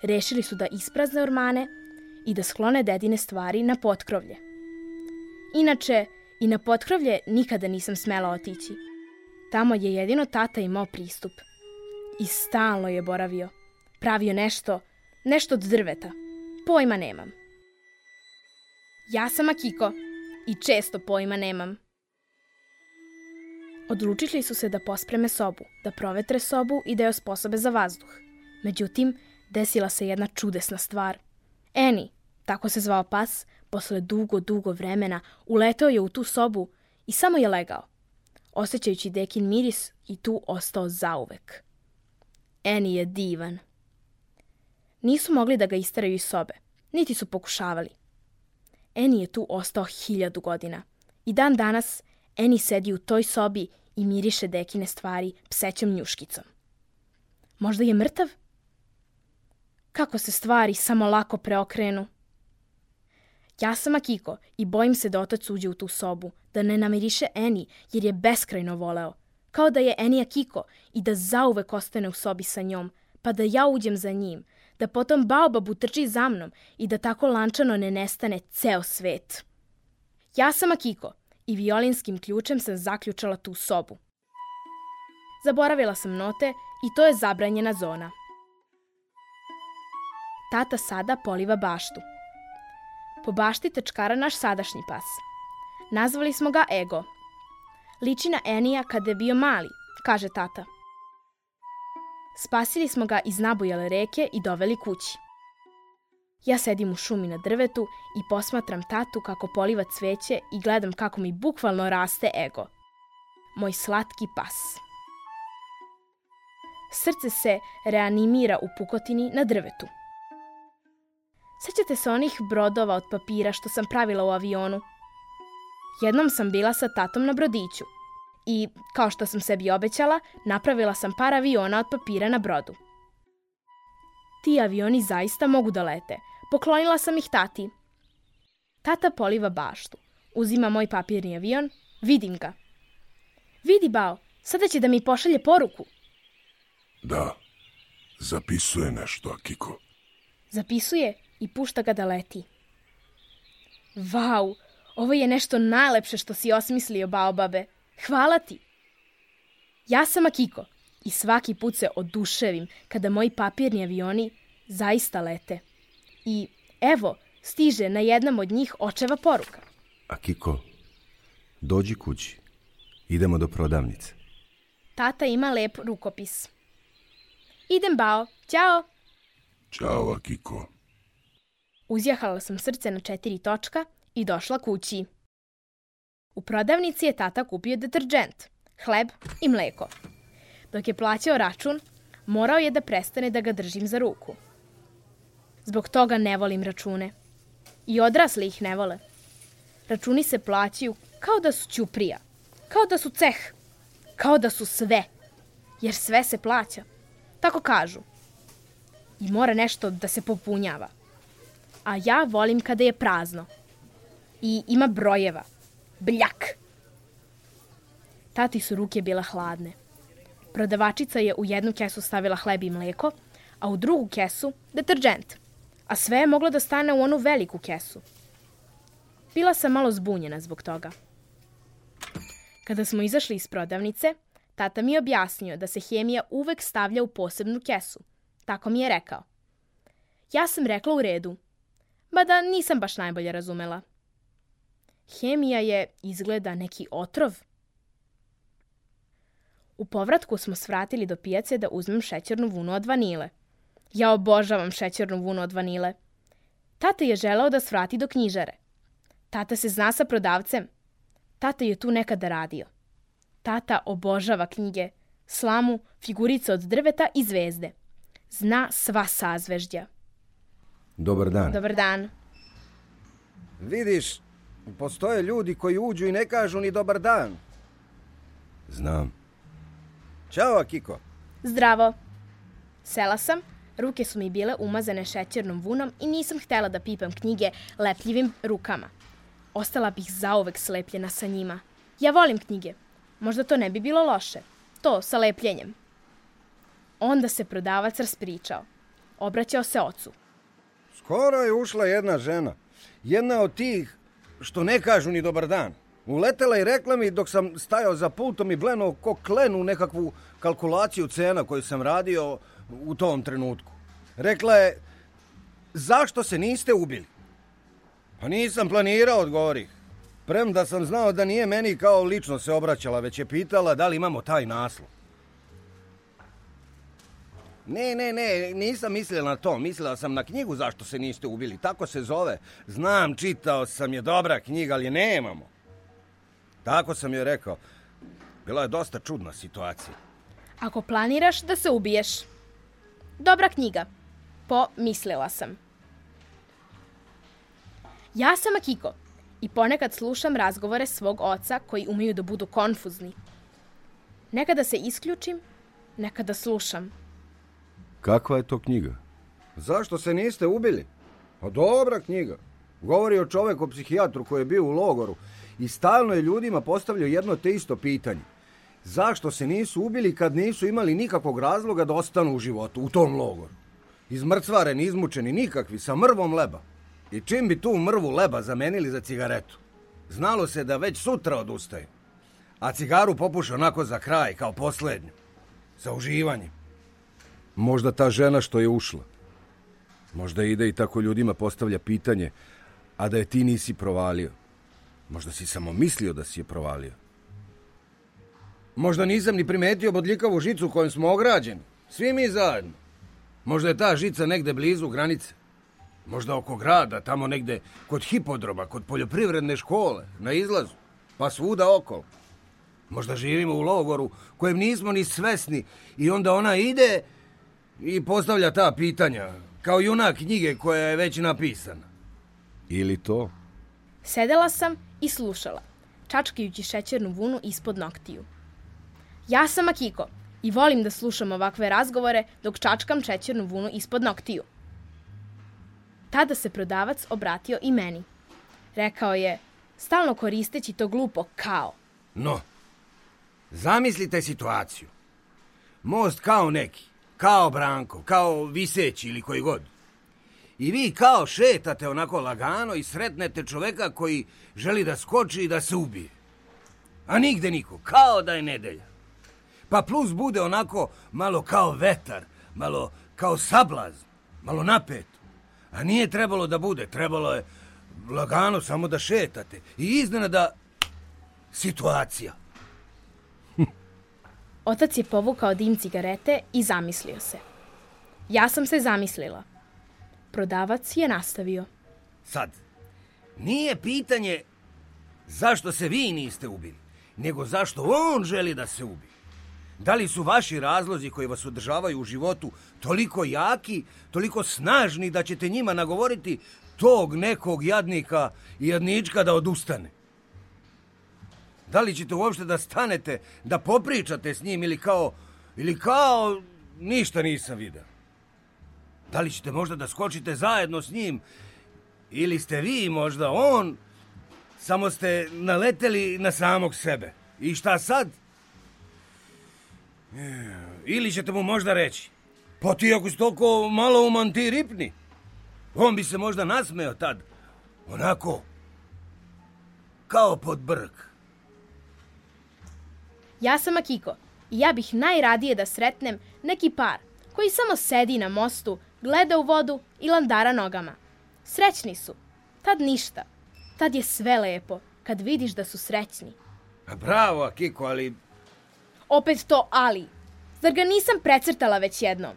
rešili su da isprazne ormane i da sklone dedine stvari na potkrovlje. Inače, i na potkrovlje nikada nisam smela otići. Tamo je jedino tata imao pristup. I stalno je boravio. Pravio nešto, nešto od drveta. Pojma nemam. Ja sam Akiko i često pojma nemam. Odlučili su se da pospreme sobu, da provetre sobu i da je osposobe za vazduh. Međutim, desila se jedna čudesna stvar. Eni, tako se zvao pas, posle dugo, dugo vremena uleteo je u tu sobu i samo je legao, osjećajući dekin miris i tu ostao zauvek. Eni je divan. Nisu mogli da ga isteraju iz sobe, niti su pokušavali. Eni je tu ostao hiljadu godina i dan danas Eni sedi u toj sobi i miriše dekine stvari psećom njuškicom. Možda je mrtav? Kako se stvari samo lako preokrenu. Ja sam Akiko i bojim se da otac uđe u tu sobu, da ne namiriše Eni jer je beskrajno voleo, kao da je Eni Akiko i da zauvek ostane u sobi sa njom, pa da ja uđem za njim, da potom Baobab utrči za mnom i da tako lančano ne nestane ceo svet. Ja sam Akiko i violinskim ključem sam zaključala tu sobu. Zaboravila sam note i to je zabranjena zona. Tata sada poliva baštu. Po bašti tečkara naš sadašnji pas. Nazvali smo ga Ego. Liči na Enija kada je bio mali, kaže tata. Spasili smo ga iz nabujale reke i doveli kući. Ja sedim u šumi na drvetu i posmatram tatu kako poliva cveće i gledam kako mi bukvalno raste Ego. Moj slatki pas. Srce se reanimira u pukotini na drvetu. Sećate se onih brodova od papira što sam pravila u avionu? Jednom sam bila sa tatom na brodiću i, kao što sam sebi obećala, napravila sam par aviona od papira na brodu. Ti avioni zaista mogu da lete. Poklonila sam ih tati. Tata poliva baštu. Uzima moj papirni avion. Vidim ga. Vidi, Bao, sada će da mi pošalje poruku. Da, zapisuje nešto, Akiko. Zapisuje i pušta ga da leti. Vau, ovo je nešto najlepše što si osmislio, Baobabe. Hvala ti. Ja sam Akiko i svaki put se oduševim kada moji papirni avioni zaista lete. I evo, stiže na jednom od njih očeva poruka. Akiko, dođi kući. Idemo do prodavnice. Tata ima lep rukopis. Idem, Bao. Ćao. Ćao, Akiko. Uzjahala sam srce na četiri točka i došla kući. U prodavnici je tata kupio deterdžent, hleb i mleko. Dok je plaćao račun, morao je da prestane da ga držim za ruku. Zbog toga ne volim račune. I odrasli ih ne vole. Računi se plaćaju kao da su ćuprija, kao da su ceh, kao da su sve. Jer sve se plaća. Tako kažu. I mora nešto da se popunjava. A ja volim kada je prazno. I ima brojeva. Bljak. Tati su ruke bile hladne. Prodavačica je u jednu kesu stavila hleb i mleko, a u drugu kesu deterdžent. A sve je moglo da stane u onu veliku kesu. Bila sam malo zbunjena zbog toga. Kada smo izašli iz prodavnice, tata mi je objasnio da se hemija uvek stavlja u posebnu kesu. Tako mi je rekao. Ja sam rekla u redu, mada nisam baš najbolje razumela. Hemija je, izgleda, neki otrov. U povratku smo svratili do pijace da uzmem šećernu vunu od vanile. Ja obožavam šećernu vunu od vanile. Tata je želeo da svrati do knjižare. Tata se zna sa prodavcem. Tata je tu nekada radio. Tata obožava knjige, slamu, figurice od drveta i zvezde. Zna sva sazvežđa. Dobar dan. Dobar dan. Vidiš, postoje ljudi koji uđu i ne kažu ni dobar dan. Znam. Ćao, Akiko. Zdravo. Sela sam, ruke su mi bile umazane šećernom vunom i nisam htjela da pipam knjige lepljivim rukama. Ostala bih zauvek slepljena sa njima. Ja volim knjige. Možda to ne bi bilo loše. To sa lepljenjem. Onda se prodavac raspričao. Obraćao se ocu. Skoro je ušla jedna žena. Jedna od tih što ne kažu ni dobar dan. Uletela i rekla mi dok sam stajao za pultom i blenuo ko klen u nekakvu kalkulaciju cena koju sam radio u tom trenutku. Rekla je, zašto se niste ubili? Pa nisam planirao, odgovorih. Premda sam znao da nije meni kao lično se obraćala, već je pitala da li imamo taj naslov. Ne, ne, ne, nisam mislila na to. Mislila sam na knjigu zašto se niste ubili. Tako se zove. Znam, čitao sam, je dobra knjiga, ali je nemamo. Tako sam joj rekao. Bila je dosta čudna situacija. Ako planiraš da se ubiješ. Dobra knjiga. Pomislila sam. Ja sam Akiko i ponekad slušam razgovore svog oca koji umeju da budu konfuzni. Nekada se isključim, nekada slušam. Kakva je to knjiga? Zašto se niste ubili? Pa dobra knjiga. Govori o čoveku psihijatru koji je bio u logoru i stalno je ljudima postavljao jedno te isto pitanje. Zašto se nisu ubili kad nisu imali nikakvog razloga da ostanu u životu, u tom logoru? Izmrcvareni, izmučeni, nikakvi, sa mrvom leba. I čim bi tu mrvu leba zamenili za cigaretu? Znalo se da već sutra odustaju. A cigaru popuše onako za kraj, kao posljednju. Sa uživanjem. Možda ta žena što je ušla. Možda ide i tako ljudima postavlja pitanje, a da je ti nisi provalio. Možda si samo mislio da si je provalio. Možda nisam ni primetio bodljikavu žicu kojom smo ograđeni. Svi mi zajedno. Možda je ta žica negde blizu granice. Možda oko grada, tamo negde kod hipodroma, kod poljoprivredne škole, na izlazu, pa svuda okolo. Možda živimo u logoru kojem nismo ni svesni i onda ona ide i postavlja ta pitanja, kao junak knjige koja je već napisana. Ili to? Sedela sam i slušala, čačkajući šećernu vunu ispod noktiju. Ja sam Akiko i volim da slušam ovakve razgovore dok čačkam šećernu vunu ispod noktiju. Tada se prodavac obratio i meni. Rekao je, stalno koristeći to glupo kao. No, zamislite situaciju. Most kao neki, kao Branko, kao Viseći ili koji god. I vi kao šetate onako lagano i sretnete čoveka koji želi da skoči i da se ubije. A nigde niko, kao da je nedelja. Pa plus bude onako malo kao vetar, malo kao sablazn, malo napeto. A nije trebalo da bude, trebalo je lagano samo da šetate. I iznenada situacija. Otac je povukao dim cigarete i zamislio se. Ja sam se zamislila. Prodavac je nastavio. Sad, nije pitanje zašto se vi niste ubili, nego zašto on želi da se ubije. Da li su vaši razlozi koji vas održavaju u životu toliko jaki, toliko snažni da ćete njima nagovoriti tog nekog jadnika i jadnička da odustane? Da li ćete uopšte da stanete, da popričate s njim ili kao, ili kao ništa nisam vidio? Da li ćete možda da skočite zajedno s njim ili ste vi možda on, samo ste naleteli na samog sebe? I šta sad? Ili ćete mu možda reći, pa ti ako si toliko malo uman ti ripni. On bi se možda nasmeo tad, onako, kao pod brk. Ja sam Akiko i ja bih najradije da sretnem neki par koji samo sedi na mostu, gleda u vodu i landara nogama. Srećni su. Tad ništa. Tad je sve lepo, kad vidiš da su srećni. A bravo, Akiko, ali... Opet to ali. Zar ga nisam precrtala već jednom?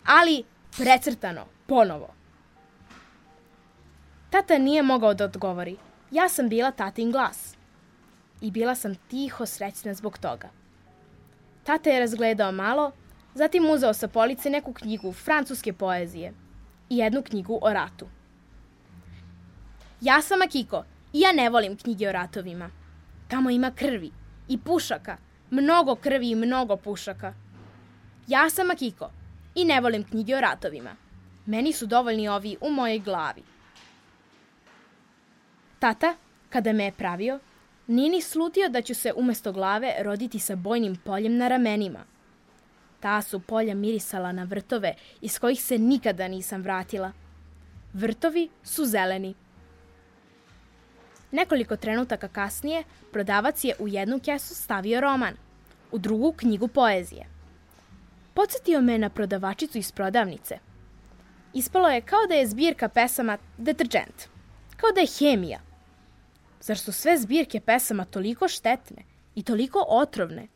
Ali precrtano, ponovo. Tata nije mogao da odgovori. Ja sam bila tatin glas. I bila sam tiho srećna zbog toga. Tata je razgledao malo, zatim uzeo sa police neku knjigu francuske poezije i jednu knjigu o ratu. Ja sam Akiko i ja ne volim knjige o ratovima. Tamo ima krvi i pušaka, mnogo krvi i mnogo pušaka. Ja sam Akiko i ne volim knjige o ratovima. Meni su dovoljni ovi u mojoj glavi. Tata, kada me je pravio, nije ni slutio da ću se umesto glave roditi sa bojnim poljem na ramenima. Ta su polja mirisala na vrtove iz kojih se nikada nisam vratila. Vrtovi su zeleni. Nekoliko trenutaka kasnije, prodavac je u jednu kesu stavio roman, u drugu knjigu poezije. Podsjetio me na prodavačicu iz prodavnice. Ispalo je kao da je zbirka pesama deterdžent, kao da je hemija. Zar su sve zbirke pesama toliko štetne i toliko otrovne?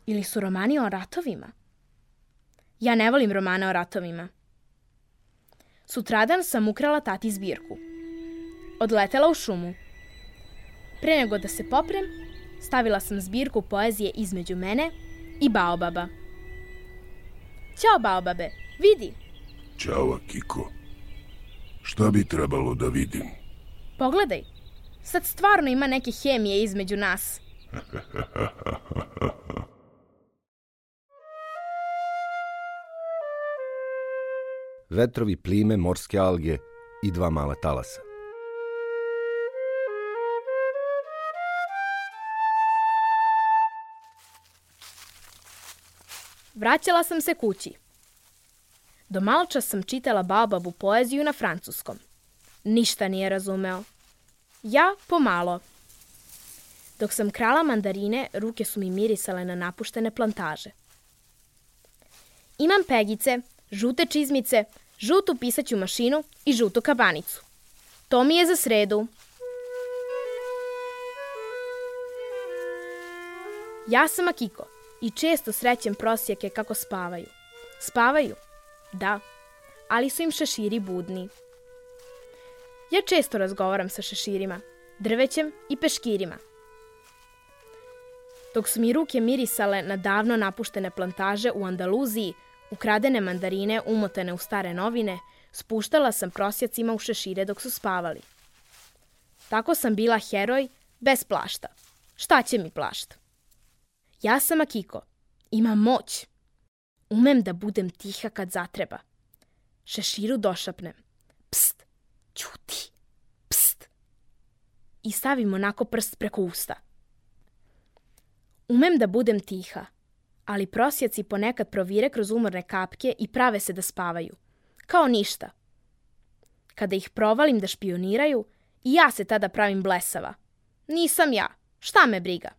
Ili su romani o ratovima? Ja ne volim romane o ratovima. Sutradan sam ukrala tati zbirku. Odletela u šumu. Pre nego da se poprem, stavila sam zbirku poezije između mene i baobaba. Ćao, baobabe, vidi. Ćao, Akiko. Šta bi trebalo da vidim? Pogledaj, sad stvarno ima neke hemije između nas. Vetrovi, plime, morske alge i dva mala talasa. Vraćala sam se kući. Do maločas sam čitala baobabu poeziju na francuskom. Ništa nije razumeo. Ja pomalo. Dok sam krala mandarine, ruke su mi mirisale na napuštene plantaže. Imam pegice, žute čizmice, žutu pisaću mašinu i žutu kabanicu. To mi je za sredu. Ja sam Akiko i često srećem prosjake kako spavaju. Spavaju? Da, ali su im šeširi budni. Ja često razgovaram sa šeširima, drvećem i peškirima. Dok su mi ruke mirisale na davno napuštene plantaže u Andaluziji, ukradene mandarine umotane u stare novine, spuštala sam prosjacima u šešire dok su spavali. Tako sam bila heroj bez plašta. Šta će mi plašt? Ja sam Akiko. Imam moć. Umem da budem tiha kad zatreba. Šeširu došapnem. Pst, ćuti, pst. I stavim onako prst preko usta. Umem da budem tiha, ali prosjaci ponekad provire kroz umorne kapke i prave se da spavaju. Kao ništa. Kada ih provalim da špioniraju, i ja se tada pravim blesava. Nisam ja. Šta me briga?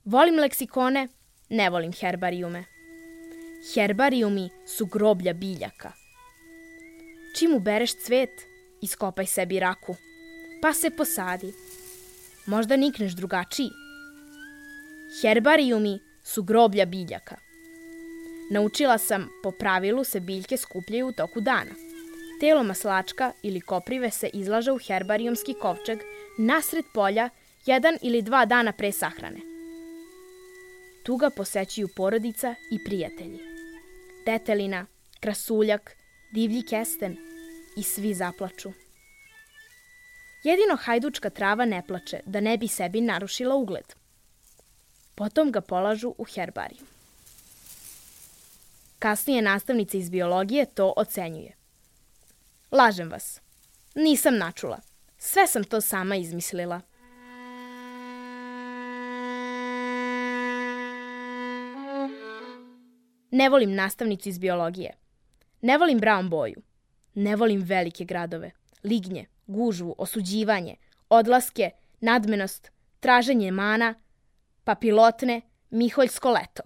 Volim leksikone, ne volim herbarijume. Herbarijumi su groblja biljaka. Čim ubereš cvet, iskopaj sebi raku, pa se posadi. Možda nikneš drugačiji. Herbarijumi su groblja biljaka. Naučila sam, po pravilu se biljke skupljaju u toku dana. Telo maslačka ili koprive se izlaže u herbarijumski kovčeg nasred polja jedan ili dva dana pre sahrane. Tu ga posećuju porodica i prijatelji. Detelina, krasuljak, divlji kesten i svi zaplaču. Jedino hajdučka trava ne plače da ne bi sebi narušila ugled. Potom ga polažu u herbariju. Kasnije nastavnica iz biologije to ocenjuje. Lažem vas. Nisam načula. Sve sam to sama izmislila. Ne volim nastavnicu iz biologije. Ne volim brown boju. Ne volim velike gradove, lignje, gužvu, osuđivanje, odlaske, nadmenost, traženje mana, papilotne, miholjsko leto.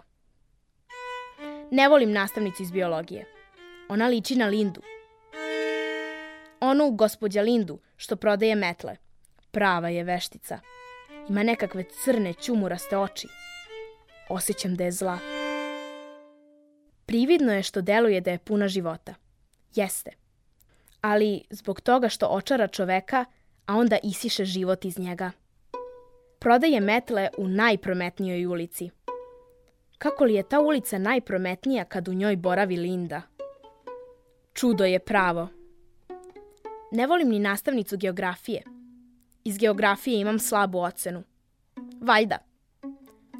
Ne volim nastavnicu iz biologije. Ona liči na Lindu. Onu gospođa Lindu što prodaje metle. Prava je veštica. Ima nekakve crne ćumuraste oči. Osjećam da je zla. Prividno je što deluje da je puna života. Jeste. Ali zbog toga što očara čoveka, a onda isiše život iz njega. Prodaje metle u najprometnijoj ulici. kako li je ta ulica najprometnija kad u njoj boravi Linda. Čudo je pravo. Ne volim ni nastavnicu geografije. Iz geografije imam slabu ocenu. Valjda.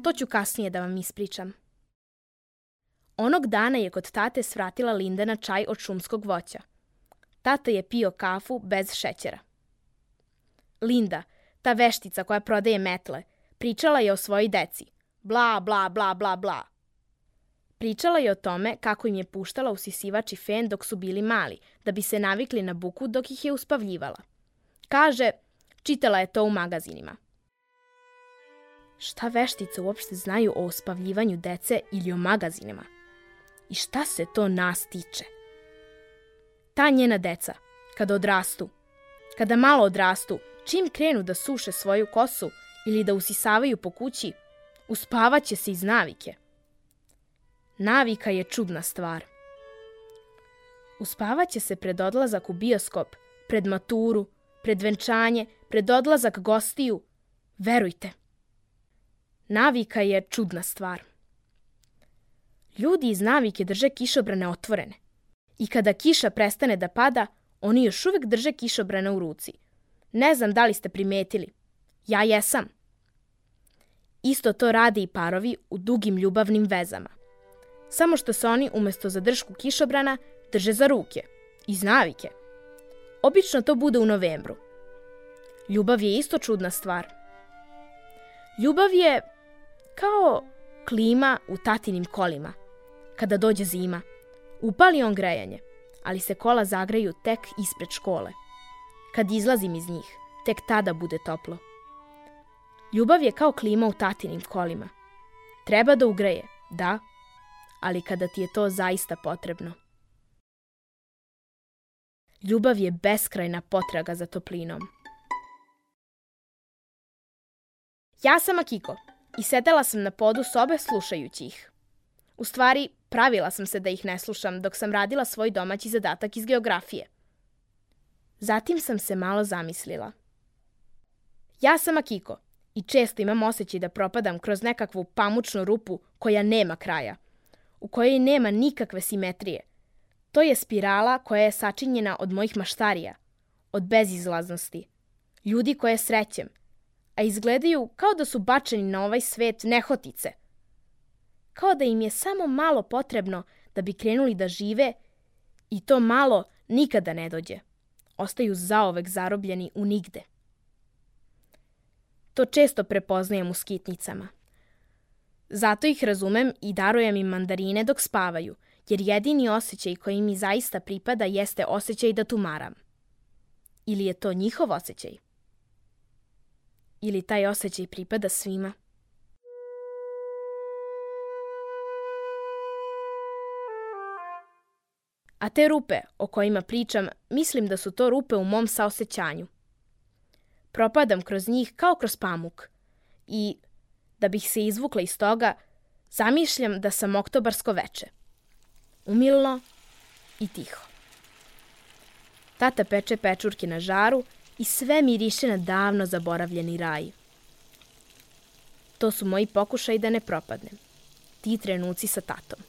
To ću kasnije da vam ispričam. Onog dana je kod tate svratila Linda na čaj od šumskog voća. Tata je pio kafu bez šećera. Linda, ta veštica koja prodaje metle, pričala je o svojoj deci. Bla, bla, bla, bla, bla. Pričala je o tome kako im je puštala usisivač i fen dok su bili mali, da bi se navikli na buku dok ih je uspavljivala. Kaže, čitala je to u magazinima. Šta veštice uopšte znaju o uspavljivanju dece ili o magazinima? I šta se to nas tiče? Ta njena deca, kada odrastu, kada malo odrastu, čim krenu da suše svoju kosu ili da usisavaju po kući, uspavaće se iz navike. Navika je čudna stvar. Uspavaće se pred odlazak u bioskop, pred maturu, pred venčanje, pred odlazak gostiju. Verujte. Navika je čudna stvar. Ljudi iz navike drže kišobrane otvorene. I kada kiša prestane da pada, oni još uvek drže kišobrane u ruci. Ne znam da li ste primetili. Ja jesam. Isto to rade i parovi u dugim ljubavnim vezama. Samo što se oni umesto za držku kišobrana drže za ruke. Iz navike. Obično to bude u novembru. Ljubav je isto čudna stvar. Ljubav je kao klima u tatinim kolima. Kada dođe zima, upali on grejanje, ali se kola zagreju tek ispred škole. Kad izlazim iz njih, tek tada bude toplo. Ljubav je kao klima u tatinim kolima. Treba da ugreje, da, ali kada ti je to zaista potrebno. Ljubav je beskrajna potraga za toplinom. Ja sam Akiko i sedela sam na podu sobe slušajući ih. U stvari, pravila sam se da ih ne slušam dok sam radila svoj domaći zadatak iz geografije. Zatim sam se malo zamislila. Ja sam Akiko i često imam osjećaj da propadam kroz nekakvu pamučnu rupu koja nema kraja, u kojoj nema nikakve simetrije. To je spirala koja je sačinjena od mojih maštarija, od bezizlaznosti, ljudi koje srećem, a izgledaju kao da su bačeni na ovaj svet nehotice. Kao da im je samo malo potrebno da bi krenuli da žive i to malo nikada ne dođe. Ostaju zaovek zarobljeni u nigde. To često prepoznajem u skitnicama. Zato ih razumem i darujem im mandarine dok spavaju, jer jedini osjećaj koji mi zaista pripada jeste osjećaj da tumaram. Ili je to njihov osjećaj? Ili taj osjećaj pripada svima? A te rupe o kojima pričam, mislim da su to rupe u mom saosećanju. Propadam kroz njih kao kroz pamuk i, da bih se izvukla iz toga, zamišljam da sam oktobarsko veče. Umilno i tiho. Tata peče pečurke na žaru i sve miriše na davno zaboravljeni raj. To su moji pokušaji da ne propadnem. Ti trenuci sa tatom.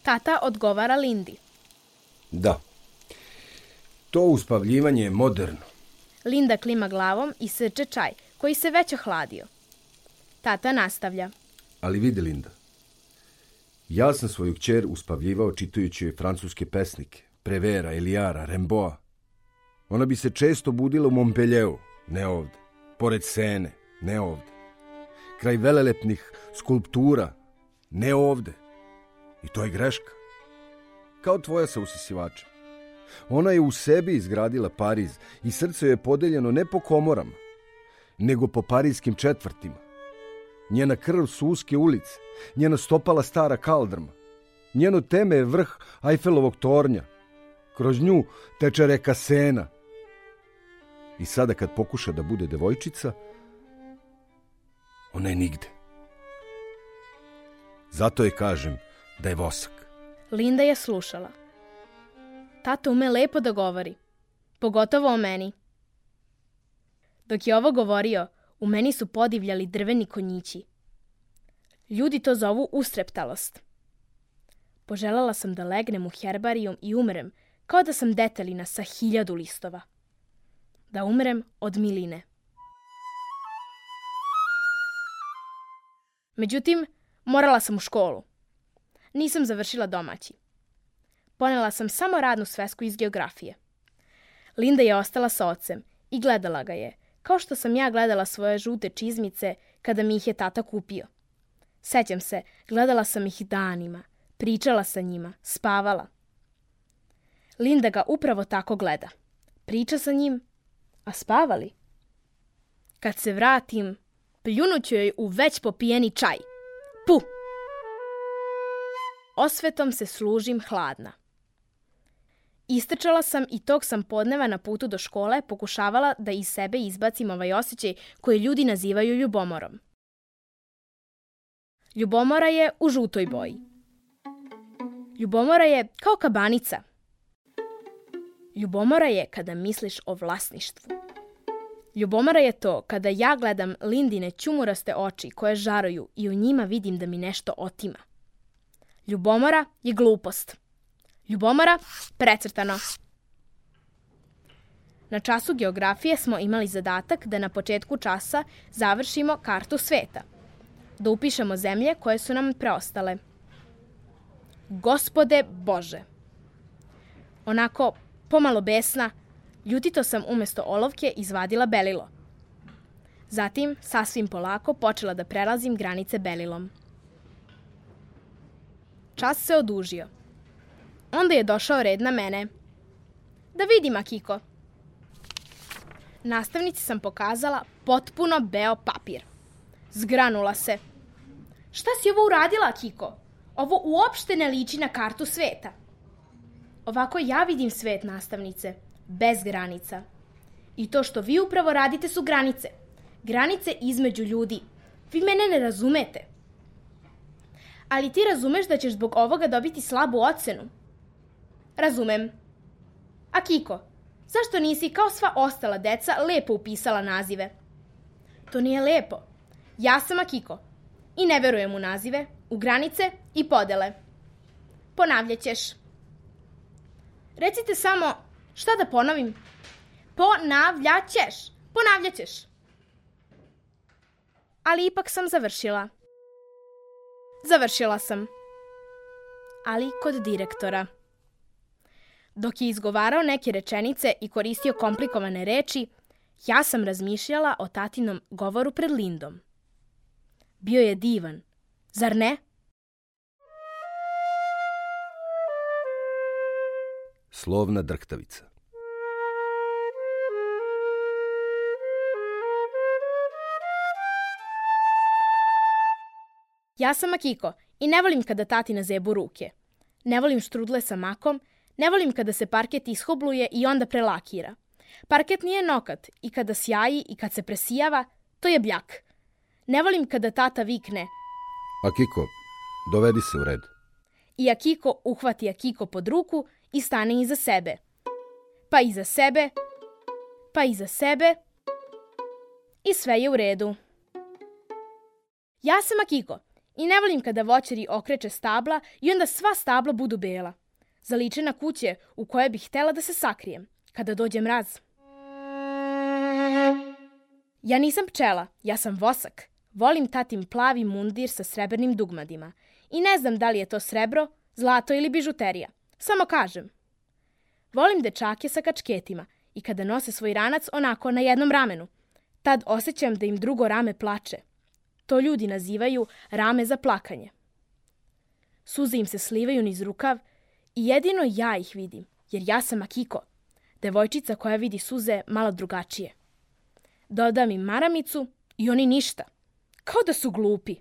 Tata odgovara Lindi. Da. To uspavljivanje je moderno. Linda klima glavom i srče čaj, koji se već ohladio. Tata nastavlja. Ali vidi, Linda, ja sam svoju kćer uspavljivao čitajući joj francuske pesnike, Prevera, Elijara, Remboa. Ona bi se često budila u Montpellieru, ne ovde. Pored Sene, ne ovde. Kraj velelepnih skulptura, ne ovde. I to je greška. Kao tvoja sa usisivačem. Ona je u sebi izgradila Pariz i srce joj je podeljeno ne po komorama, nego po parijskim četvrtima. Njena krv su uske ulice, njena stopala stara kaldrma. Njeno teme je vrh Ajfelovog tornja. Kroz nju teče reka Sena. I sada kad pokuša da bude devojčica, ona je nigde. Zato je kažem da je vosak. Linda je slušala. Tata ume lepo da govori, pogotovo o meni. Dok je ovo govorio, u meni su podivljali drveni konjići. Ljudi to zovu ustreptalost. Poželjela sam da legnem u herbarijum i umrem kao da sam detelina sa hiljadu listova. Da umrem od miline. Međutim, morala sam u školu. Nisam završila domaći. Ponela sam samo radnu svesku iz geografije. Linda je ostala sa ocem i gledala ga je, kao što sam ja gledala svoje žute čizmice kada mi ih je tata kupio. Sećam se, gledala sam ih danima, pričala sa njima, spavala. Linda ga upravo tako gleda. Priča sa njim, a spavali? Kad se vratim, pljunuću joj u već popijeni čaj. Pu! Osvetom se služim hladna. Istrčala sam i tog sam podneva na putu do škole pokušavala da iz sebe izbacim ovaj osjećaj koji ljudi nazivaju ljubomorom. Ljubomora je u žutoj boji. Ljubomora je kao kabanica. Ljubomora je kada misliš o vlasništvu. Ljubomora je to kada ja gledam Lindine ćumuraste oči koje žaruju i u njima vidim da mi nešto otima. Ljubomora je glupost. Ljubomora precrtano. Na času geografije smo imali zadatak da na početku časa završimo kartu sveta. Da upišemo zemlje koje su nam preostale. Gospode Bože! Onako pomalo besna, ljutito sam umjesto olovke izvadila belilo. Zatim, sasvim polako, počela da prelazim granice belilom. Čas se odužio. Onda je došao red na mene. Da vidim, Akiko. Nastavnici sam pokazala potpuno beo papir. Zgranula se. Šta si ovo uradila, Akiko? Ovo uopšte ne liči na kartu sveta. Ovako ja vidim svet, nastavnice, bez granica. I to što vi upravo radite su granice. Granice između ljudi. Vi mene ne razumete. Ali ti razumeš da ćeš zbog ovoga dobiti slabu ocenu? Razumem. Akiko, zašto nisi kao sva ostala deca lepo upisala nazive? To nije lepo. Ja sam Akiko i ne verujem u nazive, u granice i podele. Ponavljat ćeš. Recite samo, šta da ponovim? Ponavljat ćeš. Ponavljat ćeš. Ali ipak sam završila. Završila sam. Ali kod direktora. Dok je izgovarao neke rečenice i koristio komplikovane reči, ja sam razmišljala o tatinom govoru pred Lindom. Bio je divan, zar ne? Slovna drhtavica. Ja sam Akiko i ne volim kada tati nazebu ruke. Ne volim štrudle sa makom, ne volim kada se parket ishobluje i onda prelakira. Parket nije nokat i kada sjaji i kad se presijava, to je bljak. Ne volim kada tata vikne Akiko, dovedi se u red. I Akiko uhvati Akiko pod ruku i stane iza sebe. Pa iza sebe, pa iza sebe i sve je u redu. Ja sam Akiko i ne volim kada voćari okreće stabla i onda sva stabla budu bela. Zaliče na kuće u koje bih htjela da se sakrijem, kada dođe mraz. Ja nisam pčela, ja sam vosak. Volim tatin plavi mundir sa srebrnim dugmadima. I ne znam da li je to srebro, zlato ili bižuterija. Samo kažem. Volim dečake sa kačketima i kada nose svoj ranac onako na jednom ramenu. Tad osjećam da im drugo rame plače. To ljudi nazivaju rame za plakanje. Suze im se slivaju niz rukav i jedino ja ih vidim, jer ja sam Akiko, devojčica koja vidi suze malo drugačije. Dodam im maramicu i oni ništa, kao da su glupi.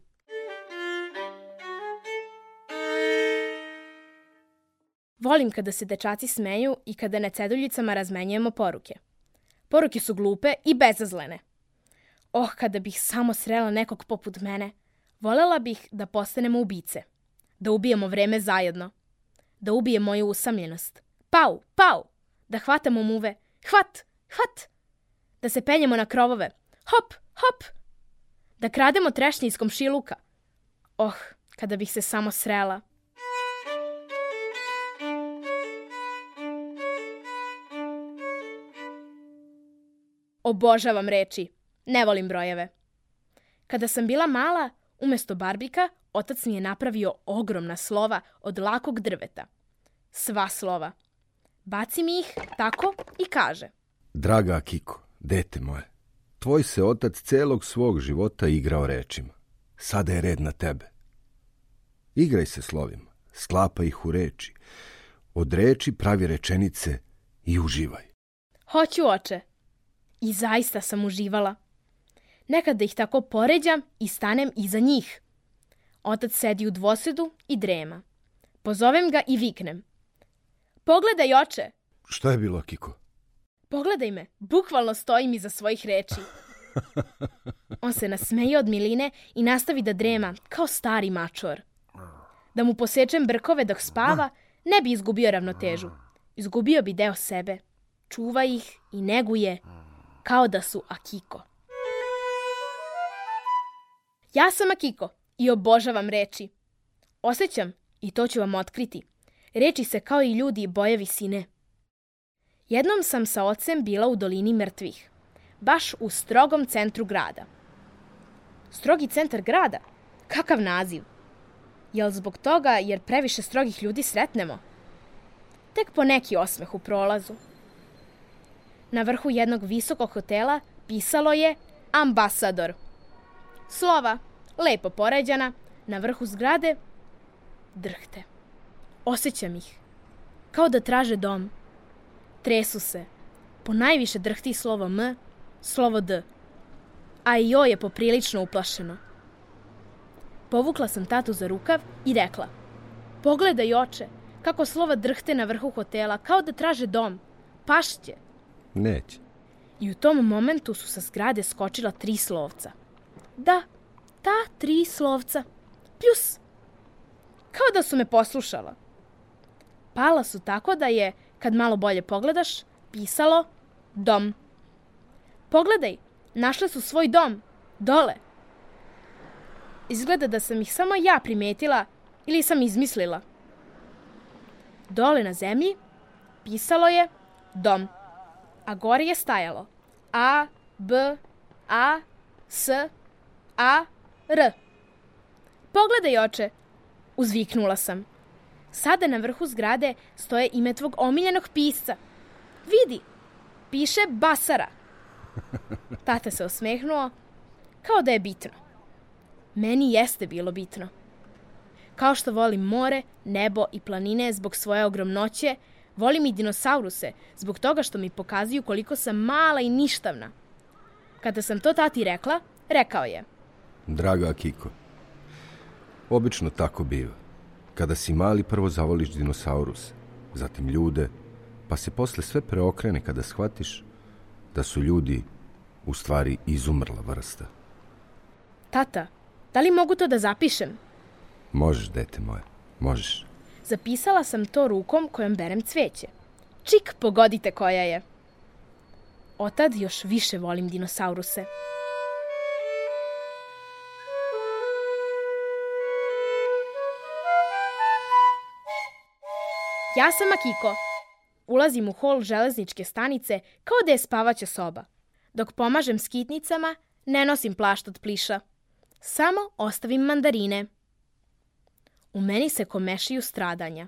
Volim kada se dečaci smeju i kada na ceduljicama razmenjujemo poruke. Poruke su glupe i bezazlene. Oh, kada bih samo srela nekog poput mene, volela bih da postanemo ubice, da ubijemo vreme zajedno, da ubije moju usamljenost. Pau, pau, da hvatamo muve, hvat, hvat, da se penjemo na krovove, hop, hop, da krademo trešnje iz komšiluka. Oh, kada bih se samo srela. Obožavam reči. Ne volim brojeve. Kada sam bila mala, umjesto barbika, otac mi je napravio ogromna slova od lakog drveta. Sva slova. Baci mi ih tako i kaže. Draga Akiko, dete moje, tvoj se otac celog svog života igrao rečima. Sada je red na tebe. Igraj se slovima, sklapaj ih u reči. Od reči pravi rečenice i uživaj. Hoću, oče. I zaista sam uživala. Nekada ih tako poređam i stanem iza njih. Otac sedi u dvosedu i drema. Pozovem ga i viknem. Pogledaj, oče. Šta je bilo, Akiko? Pogledaj me, bukvalno stojim iza svojih reči. On se nasmeje od miline i nastavi da drema kao stari mačor. Da mu posečem brkove dok spava, ne bi izgubio ravnotežu. Izgubio bi deo sebe. Čuva ih i neguje kao da su Akiko. Ja sam Akiko i obožavam reči. Osjećam, i to ću vam otkriti, reči se kao i ljudi boje visine. Jednom sam sa ocem bila u dolini mrtvih, baš u strogom centru grada. Strogi centar grada? Kakav naziv? Jel zbog toga jer previše strogih ljudi sretnemo? Tek po neki osmeh u prolazu. Na vrhu jednog visokog hotela pisalo je ambasador. Slova, lepo poređana, na vrhu zgrade drhte. Osjećam ih, kao da traže dom. Tresu se. Po najviše drhti slovo M, slovo D. A i joj je poprilično uplašeno. Povukla sam tatu za rukav i rekla. Pogledaj, oče, kako slova drhte na vrhu hotela, kao da traže dom. Pašće. Neće. I u tom momentu su sa zgrade skočila tri slovca. Da, ta tri slovca. Pljus. Kao da su me poslušala. Pala su tako da je, kad malo bolje pogledaš, pisalo dom. Pogledaj, našle su svoj dom, dole. Izgleda da sam ih samo ja primetila ili sam izmislila. Dole na zemlji pisalo je dom, a gore je stajalo A, B, A, S, A, R. Pogledaj, oče, uzviknula sam. Sada na vrhu zgrade stoje ime tvog omiljenog pisca. Vidi, piše Basara. Tata se osmehnuo, kao da je bitno. Meni jeste bilo bitno. Kao što volim more, nebo i planine zbog svoje ogromnoće, volim i dinosauruse zbog toga što mi pokazuju koliko sam mala i ništavna. Kada sam to tati rekla, rekao je. Draga Akiko, obično tako biva. Kada si mali, prvo zavoliš dinosauruse, zatim ljude, pa se posle sve preokrene kada shvatiš da su ljudi u stvari izumrla vrsta. Tata, da li mogu to da zapišem? Možeš, dete moje, možeš. Zapisala sam to rukom kojom berem cveće. Čik, pogodite koja je. Otad još više volim dinosauruse. Ja sam Akiko. Ulazim u hol železničke stanice kao da je spavaća soba. Dok pomažem skitnicama, ne nosim plašt od pliša. Samo ostavim mandarine. U meni se komešiju stradanja.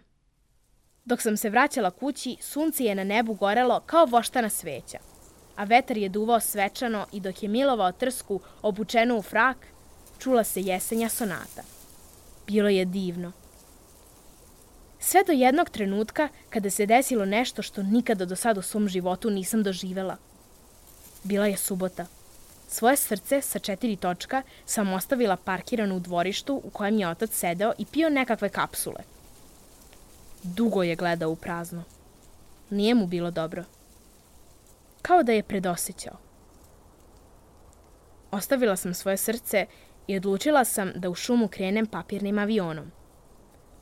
Dok sam se vraćala kući, sunce je na nebu gorelo kao voštana sveća, a vetar je duvao svečano i dok je milovao trsku obučenu u frak, čula se jesenja sonata. Bilo je divno. Sve do jednog trenutka kada se desilo nešto što nikada do sada u svom životu nisam doživela. Bila je subota. Svoje srce sa četiri točka sam ostavila parkirano u dvorištu u kojem je otac sedeo i pio nekakve kapsule. Dugo je gledao u prazno. Nije mu bilo dobro. Kao da je predosećao. Ostavila sam svoje srce i odlučila sam da u šumu krenem papirnim avionom.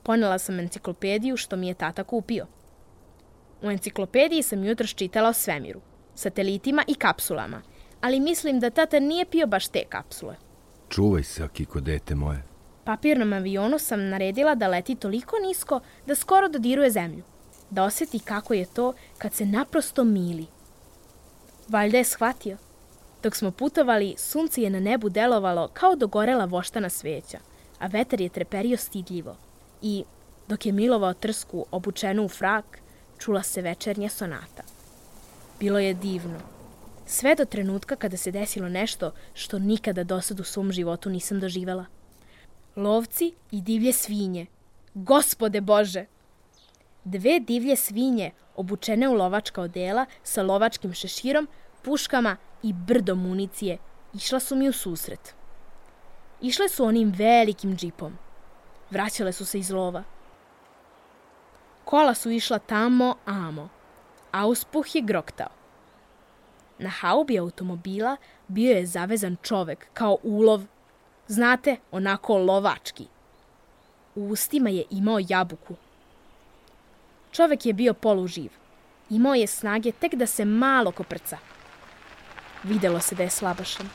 Ponela sam enciklopediju što mi je tata kupio. U enciklopediji sam jutros čitala o svemiru, satelitima i kapsulama, ali mislim da tata nije pio baš te kapsule. Čuvaj se, Akiko, dete moje. Papirnom avionu sam naredila da leti toliko nisko da skoro dodiruje zemlju, da osjeti kako je to kad se naprosto mili. Valjda je shvatio. Dok smo putovali, sunce je na nebu delovalo kao dogorela voštana sveća, a vetar je treperio stidljivo. I, dok je milovao trsku obučenu u frak, čula se večernja sonata. Bilo je divno. Sve do trenutka kada se desilo nešto što nikada dosad u svom životu nisam doživela. Lovci i divlje svinje. Gospode Bože! Dve divlje svinje, obučene u lovačka odela, sa lovačkim šeširom, puškama i brdom municije, išla su mi u susret. Išle su onim velikim džipom. Vraćale su se iz lova. Kola su išla tamo, amo. Auspuh je groktao. Na haubi automobila bio je zavezan čovek, kao ulov. Znate, onako lovački. U ustima je imao jabuku. Čovek je bio poluživ. Imao je snage tek da se malo koprca. Videlo se da je slabašan.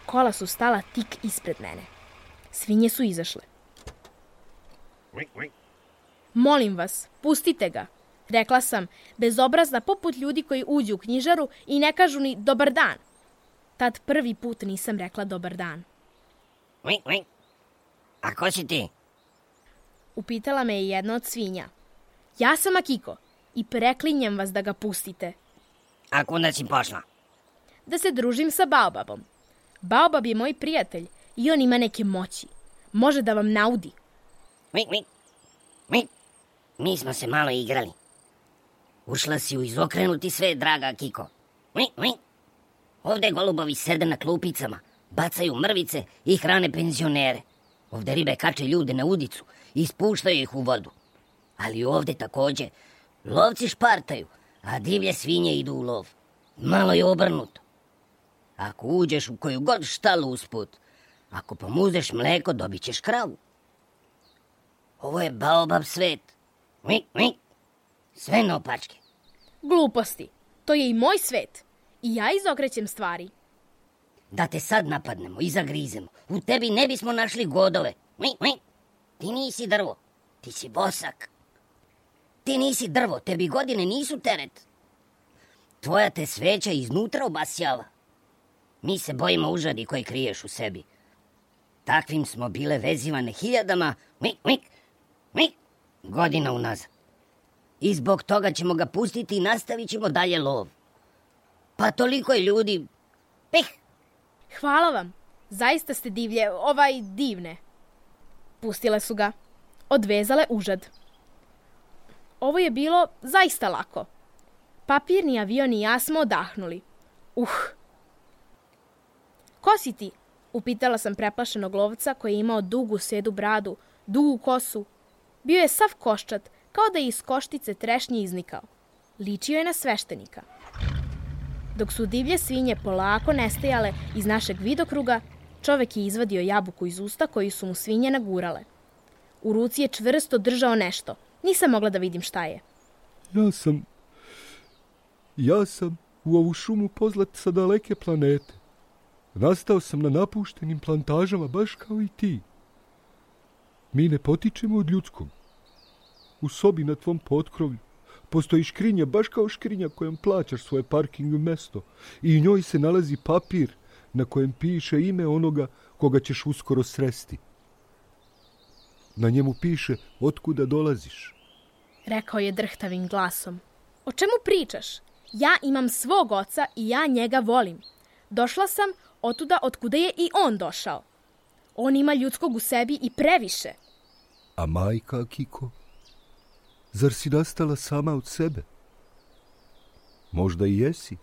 Kola su stala tik ispred mene. Svinje su izašle. Molim vas, pustite ga, rekla sam, bezobrazna poput ljudi koji uđu u knjižaru i ne kažu ni dobar dan. Tad prvi put nisam rekla dobar dan. A ko si ti? Upitala me je jedna od svinja. Ja sam Akiko i preklinjem vas da ga pustite. A kuda si pošla? Da se družim sa Baobabom. Baobab je moj prijatelj i on ima neke moći. Može da vam naudi. Mi, mi, mi, mi smo se malo igrali. Ušla si u izokrenuti svet, draga Akiko. Mi, mi. Ovde golubovi sede na klupicama, bacaju mrvice i hrane penzionere. Ovde ribe kače ljude na udicu i spuštaju ih u vodu. Ali ovde takođe lovci špartaju, a divlje svinje idu u lov. Malo je obrnuto. Ako uđeš u koju god štalu usput, ako pomuzeš mleko, dobit ćeš kravu. Ovo je Baobab svet. Mi, mi. Sve naopačke. Gluposti. To je i moj svet. I ja izokrećem stvari. Da te sad napadnemo i zagrizemo, u tebi ne bismo našli godove. Mi, mi. Ti nisi drvo, ti si bosak. Ti nisi drvo, tebi godine nisu teret. Tvoja te sveća iznutra obasjava. Mi se bojimo užadi koji kriješ u sebi. Takvim smo bile vezivane hiljadama, mi, mi, mi, godina unazad. I zbog toga ćemo ga pustiti i nastavit ćemo dalje lov. Pa toliko je ljudi... Pih! Hvala vam. Zaista ste divlje, ovaj divne. Pustile su ga. Odvezale užad. Ovo je bilo zaista lako. Papirni avion i ja smo odahnuli. Uh! Ko si ti? Upitala sam preplašenog lovca koji je imao dugu sedu bradu, dugu kosu. Bio je sav koščat, kao da je iz koštice trešnje iznikao. Ličio je na sveštenika. Dok su divlje svinje polako nestajale iz našeg vidokruga, čovek je izvadio jabuku iz usta koju su mu svinje nagurale. U ruci je čvrsto držao nešto. Nisam mogla da vidim šta je. Ja sam... Ja sam u ovu šumu pozlat sa daleke planete. Nastao sam na napuštenim plantažama baš kao i ti. Mi ne potičemo od ljudskog. U sobi na tvom potkrovlju postoji škrinja baš kao škrinja kojom plaćaš svoje parking mesto i u njoj se nalazi papir na kojem piše ime onoga koga ćeš uskoro sresti. Na njemu piše otkuda dolaziš. Rekao je drhtavim glasom. O čemu pričaš? Ja imam svog oca i ja njega volim. Došla sam otuda otkuda je i on došao. On ima ljudskog u sebi i previše. A majka, Akiko? Zar si nastala sama od sebe? Možda i jesi.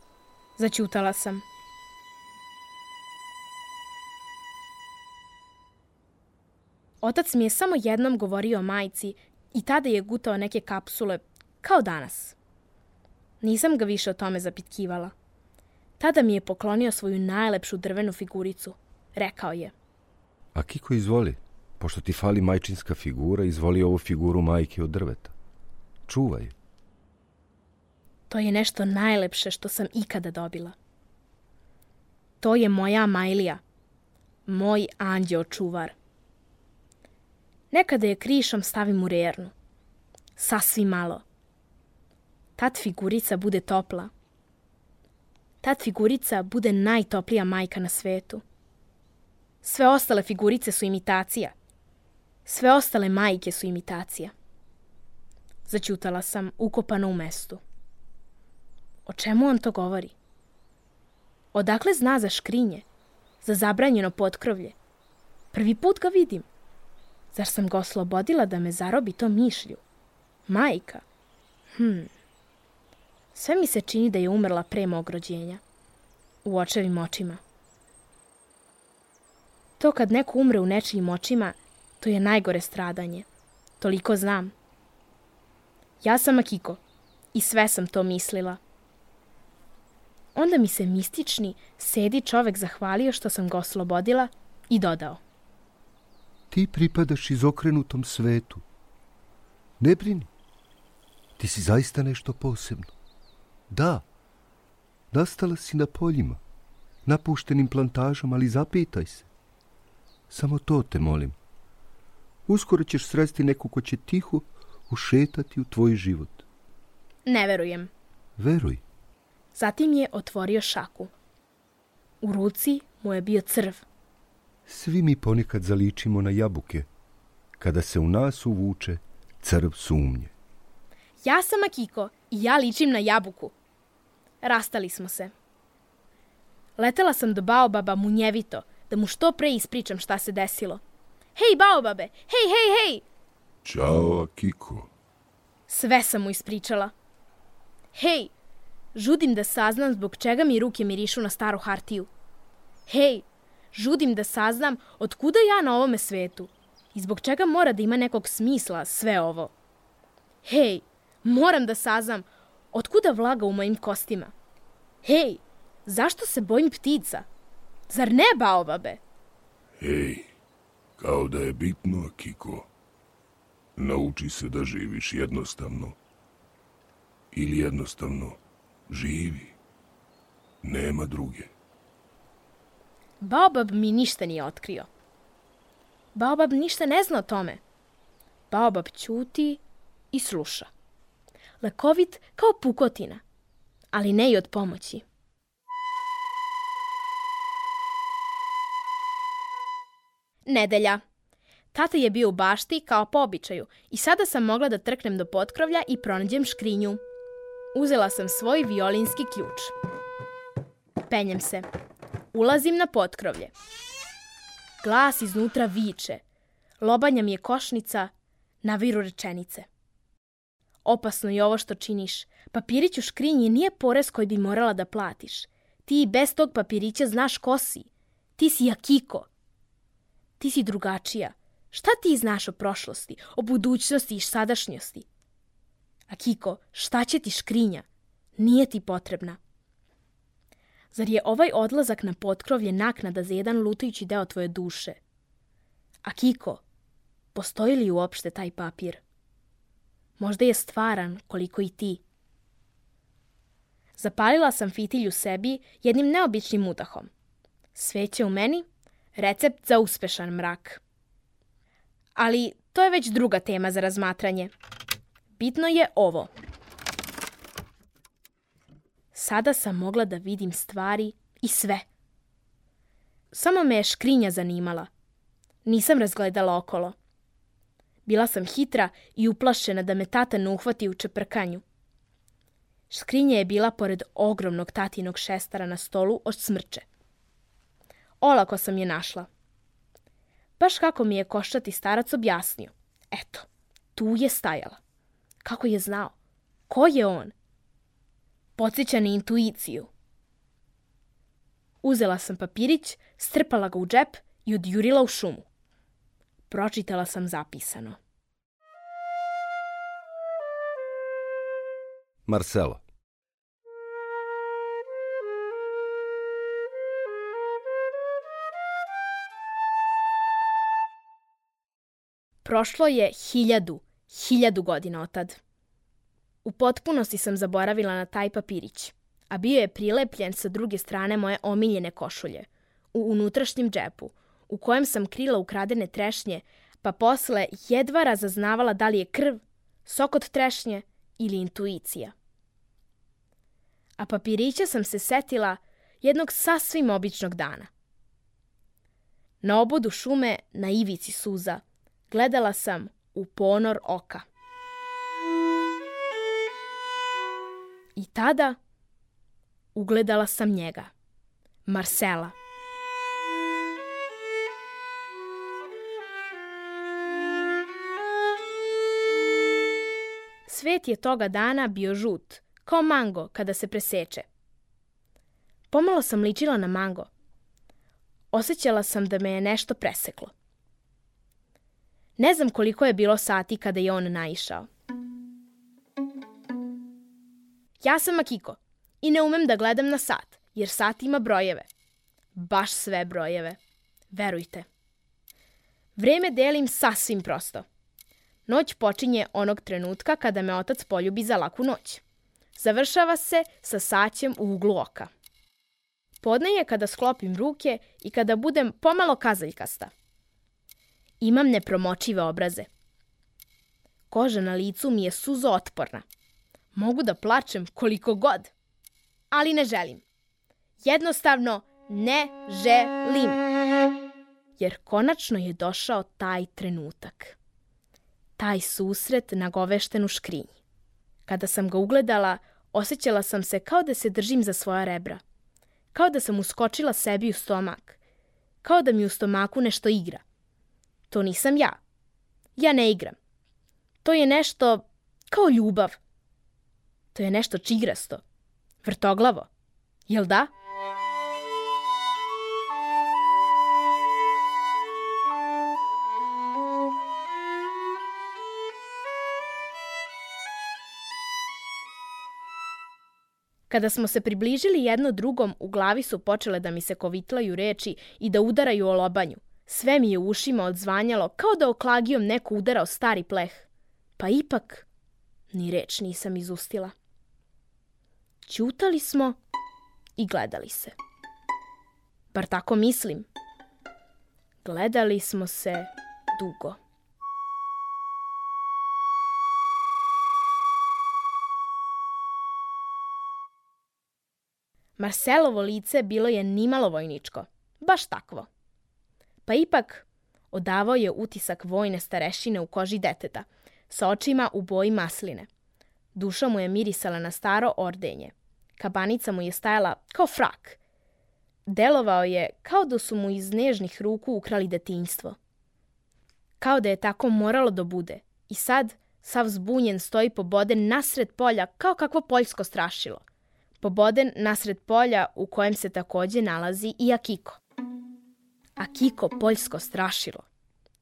Zaćutala sam. Otac mi je samo jednom govorio o majci i tada je gutao neke kapsule, kao danas. Nisam ga više o tome zapitkivala. Tada mi je poklonio svoju najlepšu drvenu figuricu. Rekao je. Akiko, izvoli. Pošto ti fali majčinska figura, izvoli ovu figuru majke od drveta. Čuvaj. To je nešto najlepše što sam ikada dobila. To je moja Majlija. Moj anđeo čuvar. Nekada je krišom stavim u rernu. Sasvim malo. Tad figurica bude topla. Tad figurica bude najtoplija majka na svetu. Sve ostale figurice su imitacija. Sve ostale majke su imitacija. Zaćutala sam, ukopana u mestu. O čemu on to govori? Odakle zna za škrinje? Za zabranjeno potkrovlje? Prvi put ga vidim. Zar sam ga oslobodila da me zarobi to mišlju? Majka? Hm. Sve mi se čini da je umrla pre mog rođenja. U očevim očima. To kad neko umre u nečijim očima, to je najgore stradanje. Toliko znam. Ja sam Akiko i sve sam to mislila. Onda mi se mistični, sedi čovek zahvalio što sam ga oslobodila i dodao. Ti pripadaš izokrenutom svetu. Ne brini. Ti si zaista nešto posebno. Da, nastala si na poljima, napuštenim plantažama, ali zapitaj se. Samo to te molim. Uskoro ćeš sresti neku ko će tiho ušetati u tvoj život. Ne verujem. Veruj. Zatim je otvorio šaku. U ruci mu je bio crv. Svi mi ponekad zaličimo na jabuke, kada se u nas uvuče crv sumnje. Ja sam Akiko i ja ličim na jabuku. Rastali smo se. Letela sam do Baobaba munjevito, da mu što pre ispričam šta se desilo. Hej, Baobabe! Hej, hej, hej! Ćao, Akiko. Sve sam mu ispričala. Hej, žudim da saznam zbog čega mi ruke mirišu na staru hartiju. Hej, žudim da saznam od kuda ja na ovome svetu i zbog čega mora da ima nekog smisla sve ovo. Hej, moram da saznam od kuda vlaga u mojim kostima. Hej, zašto se bojim ptica? Zar ne, Baobabe? Hej, kao da je bitno, Akiko. Nauči se da živiš jednostavno. Ili jednostavno živi. Nema druge. Baobab mi ništa nije otkrio. Baobab ništa ne zna o tome. Baobab ćuti i sluša. Lekovit kao pukotina, ali ne i od pomoći. Nedelja. Tata je bio u bašti kao po običaju i sada sam mogla da trknem do potkrovlja i pronađem škrinju. Uzela sam svoj violinski ključ. Penjem se. Ulazim na potkrovlje. Glas iznutra viče. Lobanja mi je košnica, naviru rečenice. Opasno je ovo što činiš. Papirić u škrinji nije porez koji bi morala da platiš. Ti i bez tog papirića znaš ko si. Ti si Akiko. Ti si drugačija. Šta ti znaš o prošlosti, o budućnosti i sadašnjosti? Akiko, šta će ti škrinja? Nije ti potrebna. Zar je ovaj odlazak na potkrovlje naknada za jedan lutajući deo tvoje duše? Akiko, postoji li uopšte taj papir? Možda je stvaran koliko i ti. Zapalila sam fitilj u sebi jednim neobičnim udahom. Sveće u meni, recept za uspešan mrak. Ali to je već druga tema za razmatranje. Bitno je ovo. Sada sam mogla da vidim stvari i sve. Samo me je škrinja zanimala. Nisam razgledala okolo. Bila sam hitra i uplašena da me tata ne uhvati u čeprkanju. Škrinja je bila pored ogromnog tatinog šestara na stolu od smrče. Olako sam je našla. Baš kako mi je koščati starac objasnio. Eto, tu je stajala. Kako je znao? Ko je on? Podsjeća na intuiciju. Uzela sam papirić, strpala ga u džep i odjurila u šumu. Pročitala sam zapisano. Marcelo. Prošlo je hiljadu, hiljadu godina otad. U potpunosti sam zaboravila na taj papirić, a bio je prilepljen sa druge strane moje omiljene košulje, u unutrašnjem džepu, u kojem sam krila ukradene trešnje, pa posle jedva razaznavala da li je krv, sok od trešnje ili intuicija. A papirića sam se setila jednog sasvim običnog dana. Na obodu šume, na ivici suza, gledala sam u ponor oka. I tada ugledala sam njega, Marcela. Svet je toga dana bio žut, kao mango kada se preseče. Pomalo sam ličila na mango. Osjećala sam da me je nešto preseklo. Ne znam koliko je bilo sati kada je on naišao. Ja sam Akiko i ne umem da gledam na sat, jer sat ima brojeve. Baš sve brojeve. Verujte. Vreme delim sasvim prosto. Noć počinje onog trenutka kada me otac poljubi za laku noć. Završava se sa saćem u uglu oka. Podne je kada sklopim ruke i kada budem pomalo kazaljkasta. Imam nepromočive obraze. Koža na licu mi je suzootporna. Mogu da plačem koliko god, ali ne želim. Jednostavno ne želim. Jer konačno je došao taj trenutak. Taj susret nagovešten u škrinji. Kada sam ga ugledala, osjećala sam se kao da se držim za svoja rebra. Kao da sam uskočila sebi u stomak. Kao da mi u stomaku nešto igra. To nisam ja. Ja ne igram. To je nešto kao ljubav. To je nešto čigrasto. Vrtoglavo. Jel da? Kada smo se približili jedno drugom, u glavi su počele da mi se kovitlaju reči i da udaraju o lobanju. Sve mi je u ušima odzvanjalo kao da oklagijom neko udarao stari pleh. Pa ipak ni reč nisam izustila. Ćutali smo i gledali se. Bar tako mislim. Gledali smo se dugo. Marcelovo lice bilo je nimalo vojničko, baš takvo. Pa ipak odavao je utisak vojne starešine u koži deteta, sa očima u boji masline. Duša mu je mirisala na staro ordenje. Kabanica mu je stajala kao frak. Delovao je kao da su mu iz nežnih ruku ukrali detinjstvo. Kao da je tako moralo da bude. I sad, sav zbunjen, stoji poboden nasred polja kao kakvo poljsko strašilo. Poboden nasred polja u kojem se takođe nalazi i Akiko. Akiko poljsko strašilo.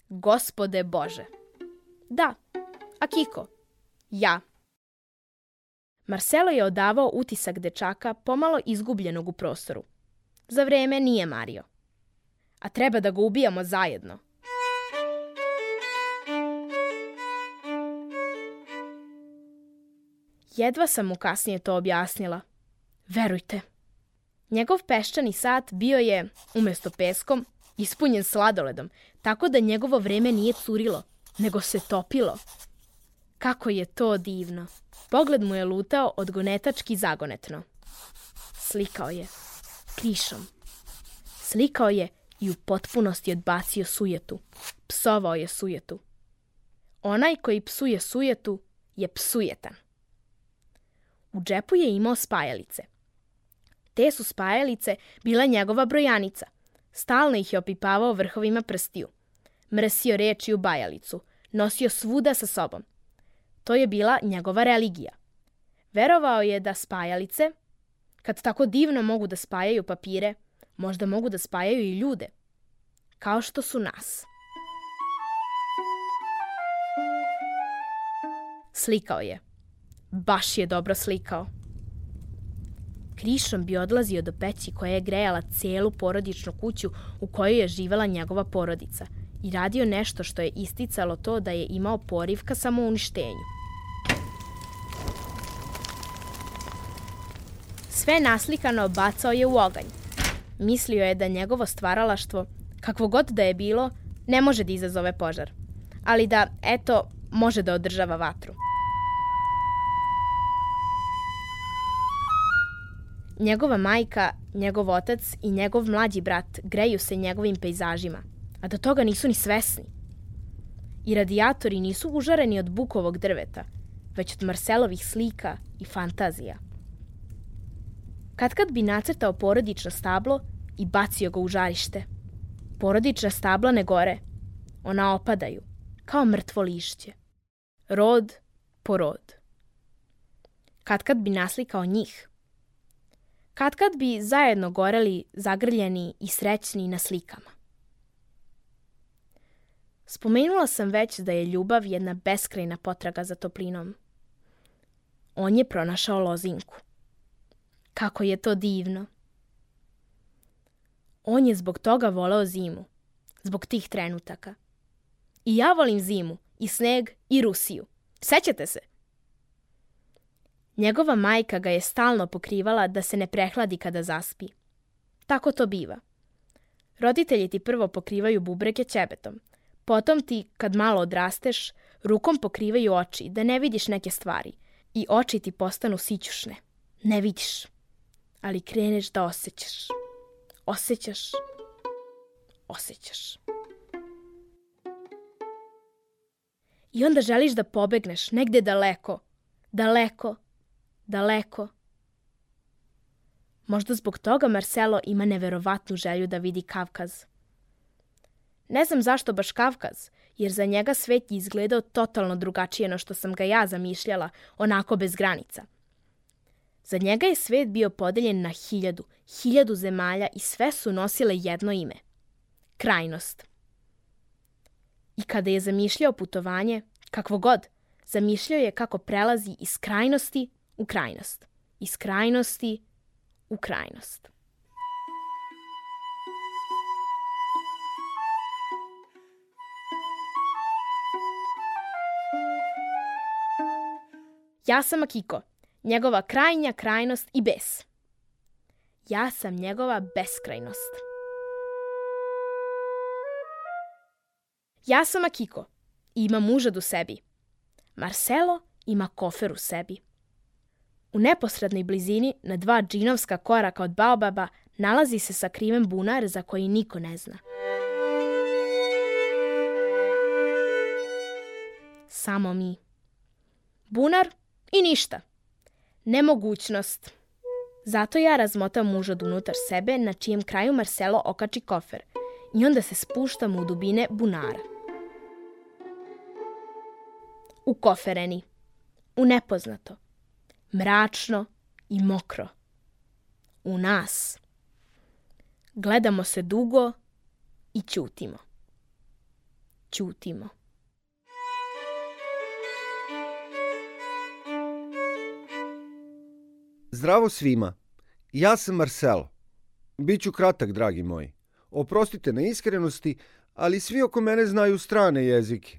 Gospode Bože. Da, Akiko. Ja. Marcelo je odavao utisak dečaka pomalo izgubljenog u prostoru. Za vreme nije mario. A treba da ga ubijamo zajedno. Jedva sam mu kasnije to objasnila. Verujte. Njegov peščani sat bio je, umesto peskom, ispunjen sladoledom, tako da njegovo vreme nije curilo, nego se topilo. Kako je to divno. Pogled mu je lutao odgonetački zagonetno. Slikao je. Krišom. Slikao je i u potpunosti odbacio sujetu. Psovao je sujetu. Onaj koji psuje sujetu je psujetan. U džepu je imao spajalice. Te su spajalice bila njegova brojanica. Stalno ih je opipavao vrhovima prstiju. Mrsio reči u bajalicu. Nosio svuda sa sobom. To je bila njegova religija. Verovao je da spajalice, kad tako divno mogu da spajaju papire, možda mogu da spajaju i ljude. Kao što su nas. Slikao je. Baš je dobro slikao. Krišom bi odlazio do peći koja je grejala celu porodičnu kuću u kojoj je živela njegova porodica i radio nešto što je isticalo to da je imao poriv ka samouništenju. Sve naslikano bacao je u oganj. Mislio je da njegovo stvaralaštvo, kakvo god da je bilo, ne može da izazove požar. ali da, eto, može da održava vatru. Njegova majka, njegov otac i njegov mlađi brat greju se njegovim pejzažima, a do toga nisu ni svesni. I radijatori nisu užareni od bukovog drveta, već od Marcelovih slika i fantazija. Katkad bi nacrtao porodično stablo i bacio ga u žarište. Porodična stabla ne gore, ona opadaju, kao mrtvo lišće. Rod po rod. Katkad bi naslikao njih. Katkad bi zajedno goreli, zagrljeni i srećni na slikama. Spomenula sam već da je ljubav jedna beskrajna potraga za toplinom. On je pronašao lozinku. Kako je to divno. On je zbog toga voleo zimu, zbog tih trenutaka. I ja volim zimu, i sneg, i Rusiju. Sećate se? Njegova majka ga je stalno pokrivala da se ne prehladi kada zaspi. Tako to biva. Roditelji ti prvo pokrivaju bubrege ćebetom, potom ti, kad malo odrasteš, rukom pokrivaju oči da ne vidiš neke stvari i oči ti postanu sićušne. Ne vidiš, ali kreneš da osjećaš. Osjećaš, osjećaš. I onda želiš da pobegneš negde daleko, daleko, daleko. Možda zbog toga Marcelo ima neverovatnu želju da vidi Kavkaz. Ne znam zašto baš Kavkaz, jer za njega svet je izgledao totalno drugačije no što sam ga ja zamišljala, onako bez granica. Za njega je svet bio podeljen na hiljadu, hiljadu zemalja i sve su nosile jedno ime. Krajnost. I kada je zamišljao putovanje, kakvo god, zamišljao je kako prelazi iz krajnosti u krajnost. Iz krajnosti u krajnost. Ja sam Akiko, njegova krajnja krajnost i bes. Ja sam njegova beskrajnost. Ja sam Akiko i imam mužad u sebi. Marcelo ima kofer u sebi. U neposrednoj blizini, na dva džinovska koraka od baobaba, nalazi se sakriven bunar za koji niko ne zna. Samo mi. Bunar i ništa. Nemogućnost. Zato ja razmotam mužad unutar sebe, na čijem kraju Marcelo okači kofer i onda se spuštam u dubine bunara. U kofereni. U nepoznato. Mračno i mokro. U nas. Gledamo se dugo i ćutimo. Ćutimo. Zdravo svima. Ja sam Marcelo. Biću kratak, dragi moji. Oprostite na iskrenosti, ali svi oko mene znaju strane jezike.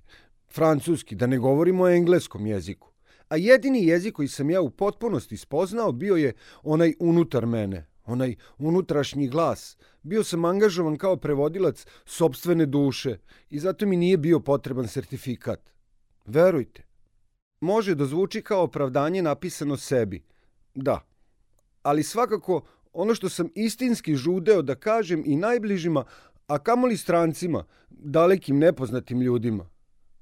Francuski, da ne govorimo o engleskom jeziku. A jedini jezik koji sam ja u potpunosti spoznao bio je onaj unutar mene, onaj unutrašnji glas. Bio sam angažovan kao prevodilac sopstvene duše i zato mi nije bio potreban sertifikat. Verujte. Može da zvuči kao opravdanje napisano sebi. Da, ali svakako ono što sam istinski žudeo da kažem i najbližima, a kamoli strancima, dalekim nepoznatim ljudima.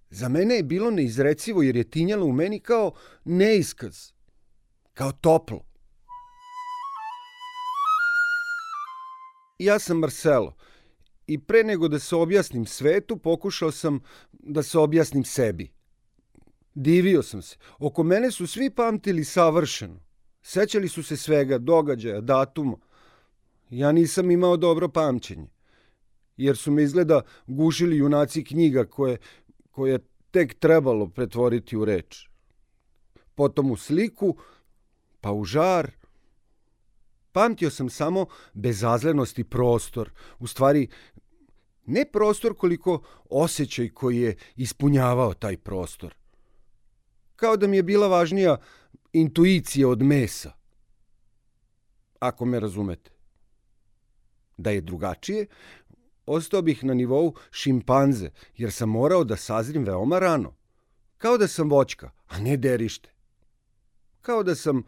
Za mene je bilo neizrecivo jer je tinjalo u meni kao neiskaz, kao toplo. Ja sam Marcelo i pre nego da se objasnim svetu, pokušao sam da se objasnim sebi. Divio sam se. Oko mene su svi pamtili savršeno. Sećali su se svega, događaja, datuma. Ja nisam imao dobro pamćenje, jer su me izgleda gušili junaci knjiga koje, koje je tek trebalo pretvoriti u reč. Potom u sliku, pa u žar. Pamtio sam samo bezazlenost i prostor. U stvari, ne prostor koliko osjećaj koji je ispunjavao taj prostor. Kao da mi je bila važnija intuicija od mesa. Ako me razumete. Da je drugačije, ostao bih na nivou šimpanze, jer sam morao da sazrim veoma rano. Kao da sam voćka, a ne derište. Kao da sam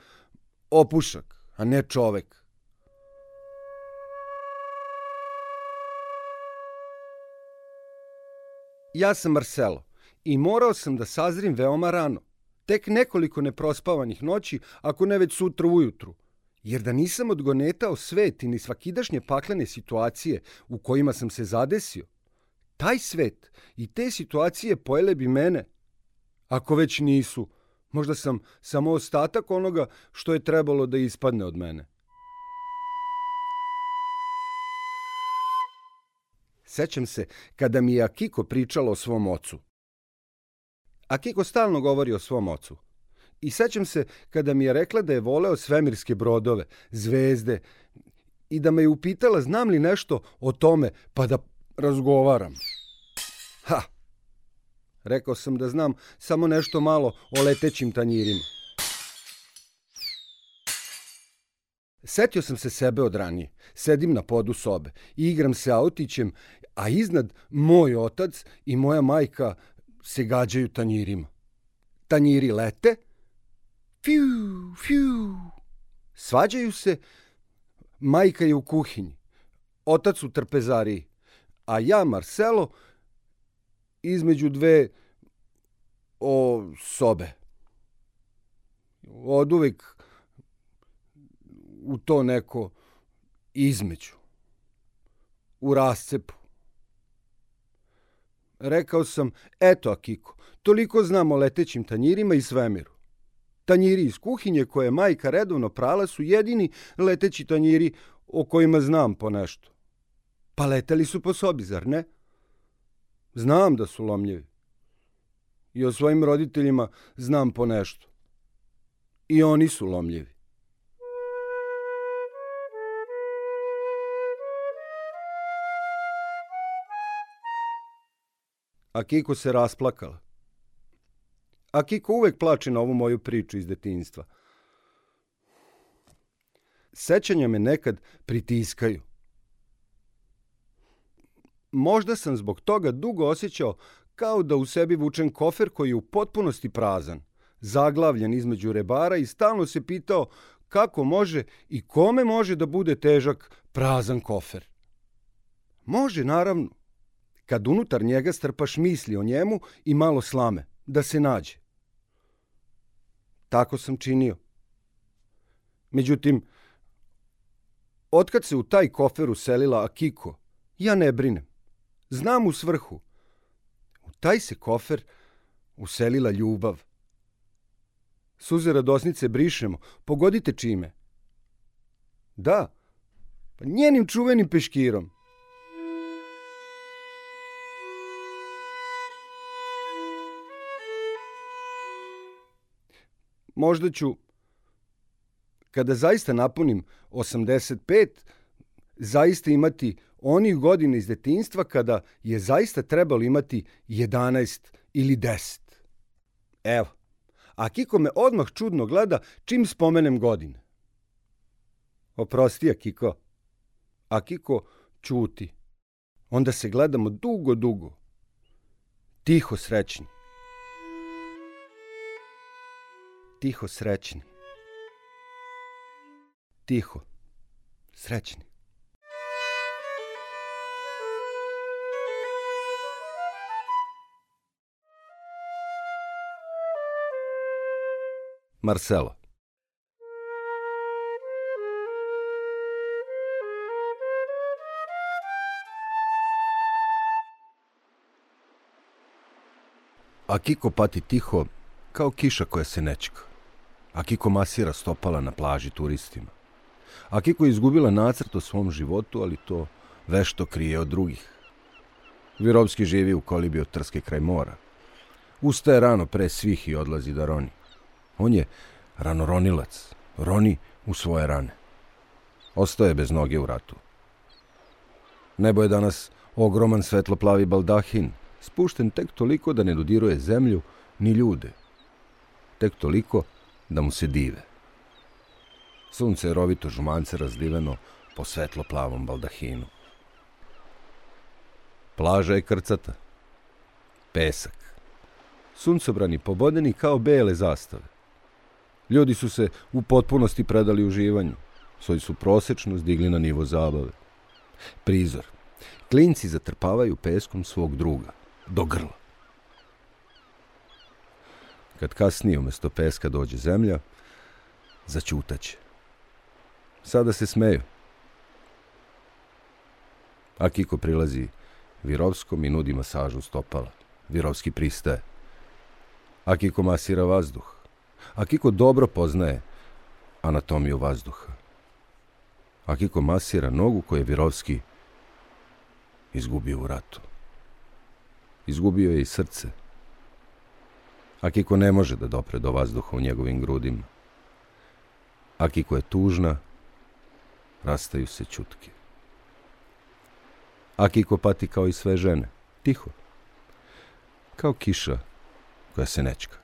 opušak, a ne čovek. Ja sam Marcelo i morao sam da sazrim veoma rano. Tek nekoliko neprospavanih noći, ako ne već sutra ujutru. Jer da nisam odgonetao svet i ni svakidašnje paklene situacije u kojima sam se zadesio, taj svet i te situacije pojele bi mene. Ako već nisu, možda sam samo ostatak onoga što je trebalo da ispadne od mene. Sećam se kada mi je Akiko pričala o svom ocu. Akiko stalno govori o svom ocu. I sećam se kada mi je rekla da je voleo svemirske brodove, zvezde, i da me je upitala znam li nešto o tome, pa da razgovaram. Ha! Rekao sam da znam samo nešto malo o letećim tanjirima. Setio sam se sebe od ranije. Sedim na podu sobe i igram se autićem, a iznad moj otac i moja majka se gađaju tanjirima. Tanjiri lete, fiu, fiu. Svađaju se, majka je u kuhinji, otac u trpezariji, a ja, Marcelo, između dve o sobe. Oduvek u to neko između, u rascepu. Rekao sam, eto Akiko, toliko znam o letećim tanjirima i svemiru. Tanjiri iz kuhinje koje je majka redovno prala su jedini leteći tanjiri o kojima znam po nešto. Pa leteli su po sobi, zar ne? Znam da su lomljivi. I o svojim roditeljima znam po nešto. I oni su lomljivi. Akiko se rasplakala. Akiko uvek plače na ovu moju priču iz detinjstva. Sećanja me nekad pritiskaju. Možda sam zbog toga dugo osjećao kao da u sebi vučem kofer koji je u potpunosti prazan, zaglavljen između rebara i stalno se pitao kako može i kome može da bude težak prazan kofer. Može, naravno, kad unutar njega strpaš misli o njemu i malo slame, da se nađe. Tako sam činio. Međutim, otkad se u taj kofer uselila Akiko, ja ne brinem. Znam u svrhu. U taj se kofer uselila ljubav. Suze radosnice brišemo, pogodite čime? Da, pa njenim čuvenim peškirom. Možda ću, kada zaista napunim osamdeset pet, zaista imati onih godina iz detinjstva kada je zaista trebalo imati jedanaest ili deset. Evo, Akiko me odmah čudno gleda čim spomenem godine. Oprosti, Akiko. Akiko ćuti. Onda se gledamo dugo, dugo. Tiho srećni. Tiho srećni. Tiho srećni. Marcelo. Akiko pati tiho kao kiša koja se nečka. Akiko masira stopala na plaži turistima. Akiko je izgubila nacrt o svom životu, ali to vešto krije od drugih. Virovski živi u kolibi od Trske kraj mora. Ustaje rano pre svih i odlazi da roni. On je ranoronilac, roni u svoje rane. Ostao je bez noge u ratu. Nebo je danas ogroman svetloplavi baldahin, spušten tek toliko da ne dodiruje zemlju ni ljude. Tek toliko da mu se dive. Sunce je rovito žumance razliveno po svetloplavom baldahinu. Plaža je krcata. Pesak. Suncobrani pobodeni kao bele zastave. Ljudi su se u potpunosti predali uživanju. Svoju su prosečnost digli na nivo zabave. Prizor. Klinci zatrpavaju peskom svog druga. Do grla. Kad kasnije umjesto peska dođe zemlja, zaćutaće. Sada se smeju. Akiko prilazi Virovskom i nudi masažu stopala. Virovski pristaje. Akiko masira vazduh. Akiko dobro poznaje anatomiju vazduha. Akiko masira nogu koju je Virovski izgubio u ratu. Izgubio je i srce. Akiko ne može da dopre do vazduha u njegovim grudima. Akiko je tužna, rastaju se ćutke. Akiko pati kao i sve žene, tiho, kao kiša koja se nečka.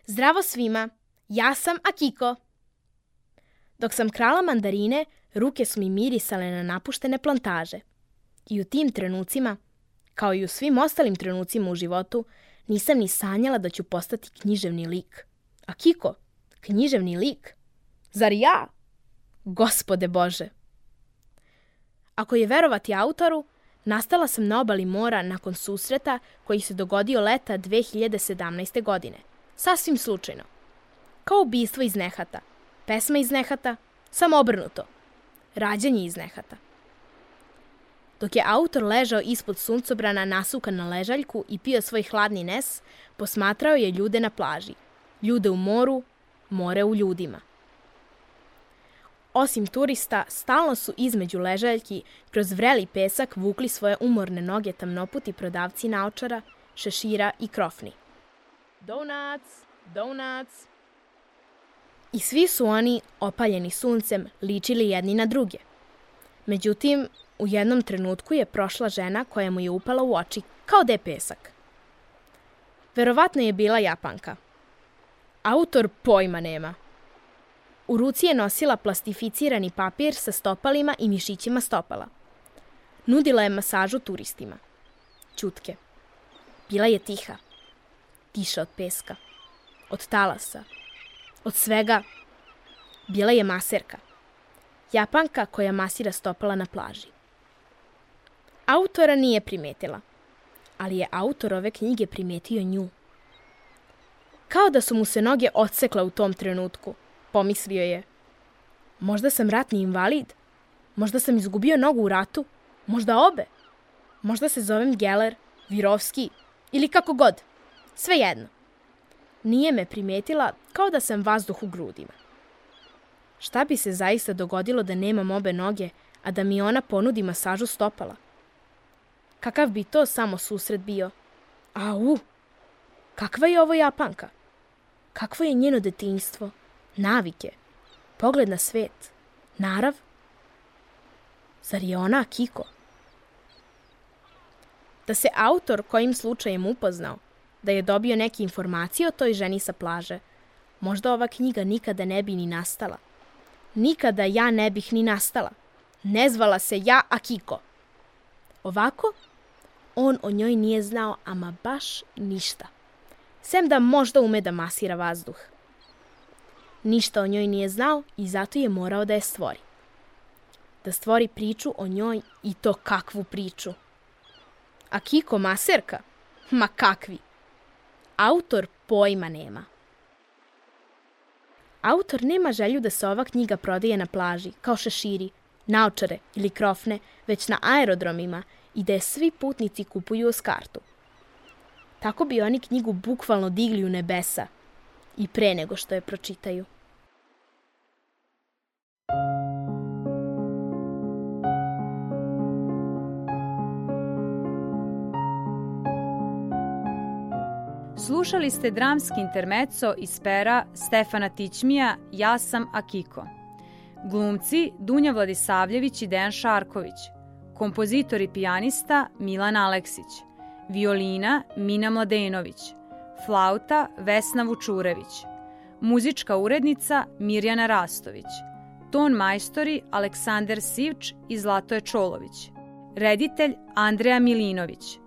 Zdravo svima, ja sam Akiko. Dok sam krala mandarine, ruke su mi mirisale na napuštene plantaže. I u tim trenucima, kao i u svim ostalim trenucima u životu, nisam ni sanjala da ću postati književni lik. Akiko, književni lik? Zar ja? Gospode Bože! Ako je verovati autoru, nastala sam na obali mora nakon susreta koji se dogodio leta dve hiljade sedamnaeste. godine. Sasvim slučajno. Kao ubistvo iz nehata. Pesma iz nehata, samo obrnuto. Rađanje iz nehata. Dok je autor ležao ispod suncobrana nasukan na ležaljku i pio svoj hladni nes, posmatrao je ljude na plaži. Ljude u moru, more u ljudima. Osim turista, stalno su između ležaljki kroz vreli pesak vukli svoje umorne noge tamnoputi prodavci naočara, šešira i krofni. Donuts, donuts. I svi su oni, opaljeni suncem, ličili jedni na druge. Međutim, u jednom trenutku je prošla žena koja mu je upala u oči, kao da je pesak. Verovatno je bila Japanka. Autor pojma nema. U ruci je nosila plastificirani papir sa stopalima i mišićima stopala. Nudila je masažu turistima. Ćutke. Bila je tiha. Tiša od peska. Od talasa. Od svega. Bila je maserka. Japanka koja masira stopala na plaži. Autora nije primetila, ali je autor ove knjige primetio nju. Kao da su mu se noge odsekle u tom trenutku, pomislio je. Možda sam ratni invalid? Možda sam izgubio nogu u ratu? Možda obe? Možda se zovem Geller, Virovski ili kako god. Svejedno. Nije me primetila kao da sam vazduh u grudima. Šta bi se zaista dogodilo da nemam obe noge, a da mi ona ponudi masažu stopala? Kakav bi to samo susret bio? Au! Kakva je ovo Japanka? Kakvo je njeno detinjstvo? Navike? Pogled na svet? Narav? Zar je ona Akiko? Da se autor kojim slučajem upoznao, da je dobio neke informacije o toj ženi sa plaže, možda ova knjiga nikada ne bi ni nastala. Nikada ja ne bih ni nastala. Ne zvala se ja Akiko. Ovako, on o njoj nije znao ama baš ništa. Sem da možda ume da masira vazduh. Ništa o njoj nije znao i zato je morao da je stvori. Da stvori priču o njoj i to kakvu priču. Akiko maserka? Ma kakvi? Autor pojma nema. Autor nema želju da se ova knjiga prodaje na plaži, kao šeširi, naočare ili krofne, već na aerodromima i da je svi putnici kupuju uz kartu. Tako bi oni knjigu bukvalno digli u nebesa i pre nego što je pročitaju. Slušali ste dramski intermezzo iz pera Stefana Tićmija Ja sam Akiko. Glumci Dunja Vladisavljević i Dejan Šarković. Kompozitor i pijanista Milan Aleksić. Violina Mina Mladenović. flauta Vesna Vučurević, muzička urednica Mirjana Rastović, ton majstori Aleksandar Sivč i Zlatoje Čolović, reditelj Andreja Milinović,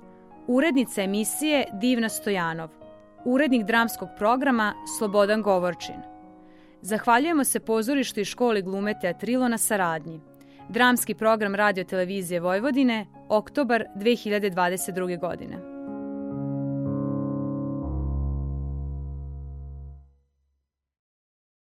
urednica emisije Divna Stojanov, urednik dramskog programa Slobodan Govorčin. Zahvaljujemo se pozorištu i školi glume Teatrilo na saradnji. Dramski program Radio Televizije Vojvodine, oktobar dve hiljade dvadeset druge godine.